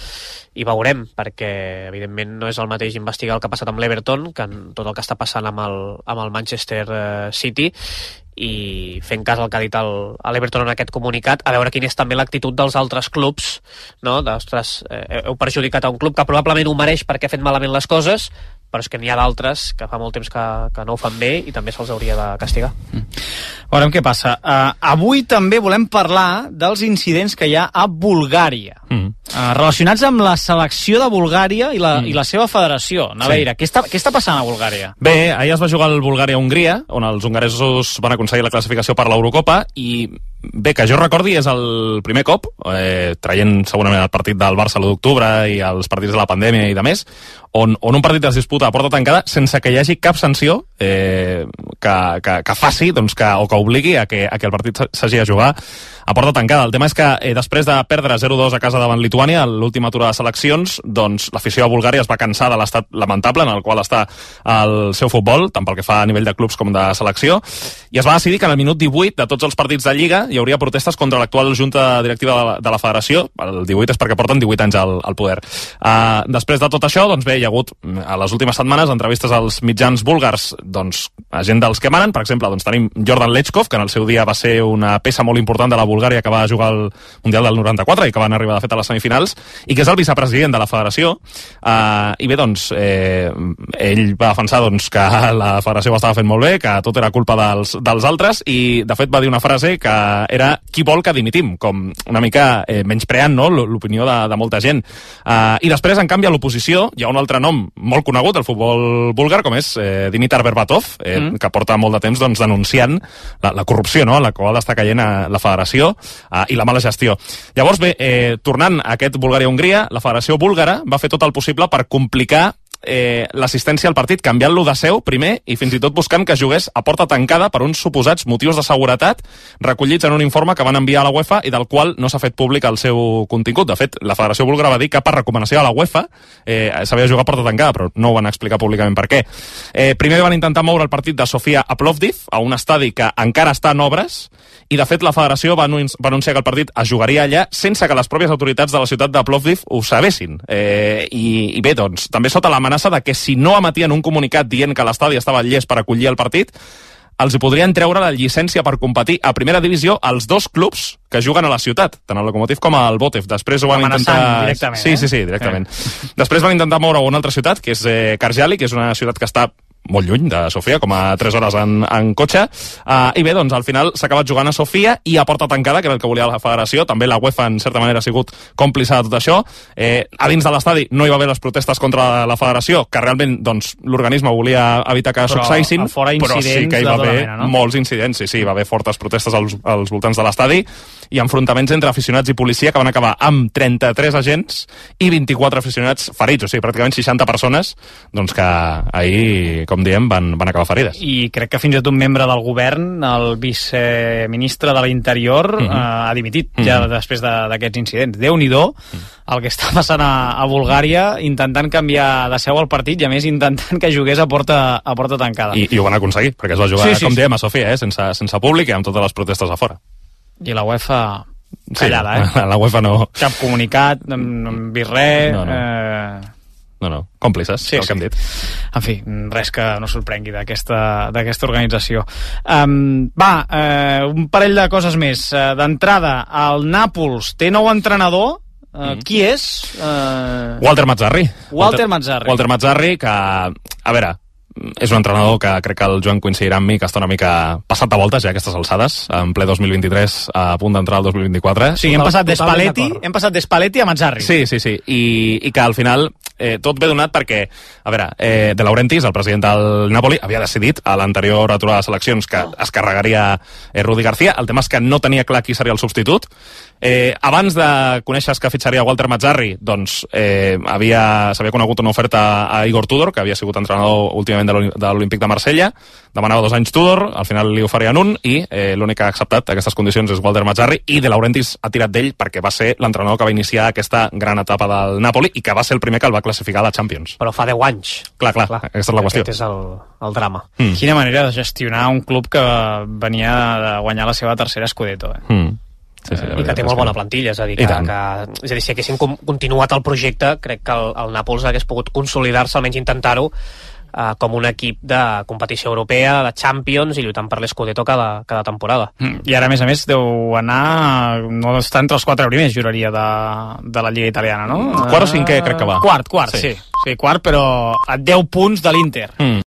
i veurem, perquè evidentment no és el mateix investigar el que ha passat amb l'Everton que en tot el que està passant amb el, amb el Manchester eh, City, i fent cas al que ha dit l'Everton en aquest comunicat, a veure quina és també l'actitud dels altres clubs, no? D'ostres, eh, heu perjudicat a un club que probablement ho mereix perquè ha fet malament les coses, però és que n'hi ha d'altres que fa molt temps que, que no ho fan bé i també se'ls hauria de castigar. Mm. Veurem què passa. Uh, avui també volem parlar dels incidents que hi ha a Bulgària, mm. uh, relacionats amb la selecció de Bulgària i la, mm. i la seva federació. Naveira, sí. què, està, què està passant a Bulgària? Bé, ahir es va jugar el Bulgària-Hongria, on els hongaresos van aconseguir la classificació per l'Eurocopa, i bé, que jo recordi és el primer cop, eh, traient segurament el partit del Barça l'u d'octubre i els partits de la pandèmia i de més, on, on un partit es disputa a porta tancada sense que hi hagi cap sanció eh, que, que, que faci doncs, que, o que obligui a que, a que el partit s'hagi de jugar a porta tancada. El tema és que eh, després de perdre zero dos a casa davant Lituània, a l'última aturada de seleccions, doncs l'afició a Bulgària es va cansar de l'estat lamentable en el qual està el seu futbol, tant pel que fa a nivell de clubs com de selecció, i es va decidir que en el minut divuit de tots els partits de Lliga hi hauria protestes contra l'actual junta directiva de la, de la federació. El divuit és perquè porten divuit anys al, al poder. Uh, després de tot això, doncs bé, hi ha hagut a les últimes setmanes entrevistes als mitjans búlgars, doncs, a gent dels que manen. Per exemple, doncs tenim Jordan Lechkov, que en el seu dia va ser una peça molt important de la Bulgària que va jugar al Mundial del noranta-quatre i que van arribar de fet a les semifinals, i que és el vicepresident de la federació. Uh, I bé, doncs, eh, ell va defensar doncs, que la federació ho estava fent molt bé, que tot era culpa dels, dels altres, i de fet va dir una frase que era qui vol que dimitim, com una mica eh, menyspreant, no?, l'opinió de, de molta gent. Uh, I després, en canvi, a l'oposició hi ha un altre nom molt conegut del futbol búlgar, com és eh, Dimitar Berbatov, eh, mm. que porta molt de temps doncs, denunciant la, la corrupció, no?, en la qual està caient a la federació, uh, i la mala gestió. Llavors, bé, eh, tornant a aquest Bulgària-Hongria, la federació búlgara va fer tot el possible per complicar Eh, l'assistència al partit, canviant-lo de seu primer i fins i tot buscant que jugués a porta tancada per uns suposats motius de seguretat recollits en un informe que van enviar a la UEFA i del qual no s'ha fet públic el seu contingut. De fet, la Federació Búlgara va dir que per recomanació a la UEFA eh, s'havia de jugar a porta tancada, però no ho van explicar públicament per què. Eh, primer van intentar moure el partit de Sofia a Plovdiv, a un estadi que encara està en obres, i de fet la federació va, anun va anunciar que el partit es jugaria allà sense que les pròpies autoritats de la ciutat de Plovdiv ho sabessin. Eh, i, i bé, doncs, també sota l'amenaça de que si no emetien un comunicat dient que l'estadi estava llest per acollir el partit, els hi podrien treure la llicència per competir a primera divisió als dos clubs que juguen a la ciutat, tant el Lokomotiv com el Botev. Després ho van intentar... directament, sí, eh? sí, sí, directament. Eh. Després van intentar moure a una altra ciutat, que és eh, Karjali, que és una ciutat que està molt lluny de Sofia, com a tres hores en, en cotxe, uh, i bé, doncs al final s'ha acabat jugant a Sofia i a porta tancada, que era el que volia la federació. També la UEFA en certa manera ha sigut còmplice de tot això. Eh, a dins de l'estadi no hi va haver les protestes contra la federació, que realment doncs, l'organisme volia evitar que succeïssin, però sí que hi va haver mena, no? molts incidents, sí, sí, hi va haver fortes protestes als, als voltants de l'estadi i enfrontaments entre aficionats i policia que van acabar amb trenta-tres agents i vint-i-quatre aficionats ferits, o sigui, pràcticament seixanta persones doncs que ahir, com diem, van, van acabar ferides. I crec que fins i tot un membre del govern, el viceministre de l'Interior, uh -huh. eh, ha dimitit uh -huh. ja després d'aquests incidents. Déu-n'hi-do uh -huh. el que està passant a, a Bulgària, intentant canviar de seu al partit i a més intentant que jugués a porta, a porta tancada. I, i ho van aconseguir, perquè es va jugar, sí, sí, com diem, a Sofia, eh, sense, sense públic i amb totes les protestes a fora. I la UEFA callada, sí, eh? La UEFA no... Cap comunicat, no hem vist res... No, no. Eh... No, no, còmplices, sí, el sí. que hem dit. En fi, res que no sorprengui d'aquesta organització. Um, va, uh, un parell de coses més. Uh, D'entrada, el Nàpols té nou entrenador. Uh, mm. Qui és? Uh... Walter Mazzarri. Walter Mazzarri. Walter Mazzarri, que, a veure, és un entrenador que crec que el Joan coincidirà amb mi, que està una mica passat de voltes ja a aquestes alçades, en ple dos mil vint-i-tres, a punt d'entrar al dos mil vint-i-quatre. Sí, hem passat d'Espalletti hem passat d'Espalletti a Mazzarri. Sí, sí, sí, i, i que al final eh, tot ve donat perquè, a veure, eh, De Laurentiis, el president del Napoli, havia decidit a l'anterior aturada de seleccions que es carregaria eh, Rudi García. El tema és que no tenia clar qui seria el substitut. Eh, abans de conèixer que fitxaria Walter Mazzarri, doncs eh, havia, s'havia conegut una oferta a Igor Tudor, que havia sigut entrenador últimament de l'Olímpic de Marsella, demanava dos anys Tudor, al final li oferien un, i eh, l'únic que ha acceptat aquestes condicions és Walter Mazzarri, i De Laurentiis ha tirat d'ell perquè va ser l'entrenador que va iniciar aquesta gran etapa del Napoli i que va ser el primer que el va classificar a la Champions. Però fa deu anys. Clar, clar, clar. Aquesta és la qüestió. Aquest és el, el drama. Mm. Quina manera de gestionar un club que venia de guanyar la seva tercera Scudetto, eh? Mm. Sí, sí, i que té molt bona plantilla, és a dir, que, que, és a dir si haguessin continuat el projecte, crec que el, el Nàpols hagués pogut consolidar-se, almenys intentar-ho, eh, com un equip de competició europea, de Champions, i lluitant per l'Scudetto cada, cada temporada. Mm. I ara, a més a més, deu anar... no està entre els quatre primers, juraria, de, de la Lliga Italiana, no? Quart o cinquè crec que va. Quart, quart, sí. sí. Sí, quart, però a deu punts de l'Inter. Mm.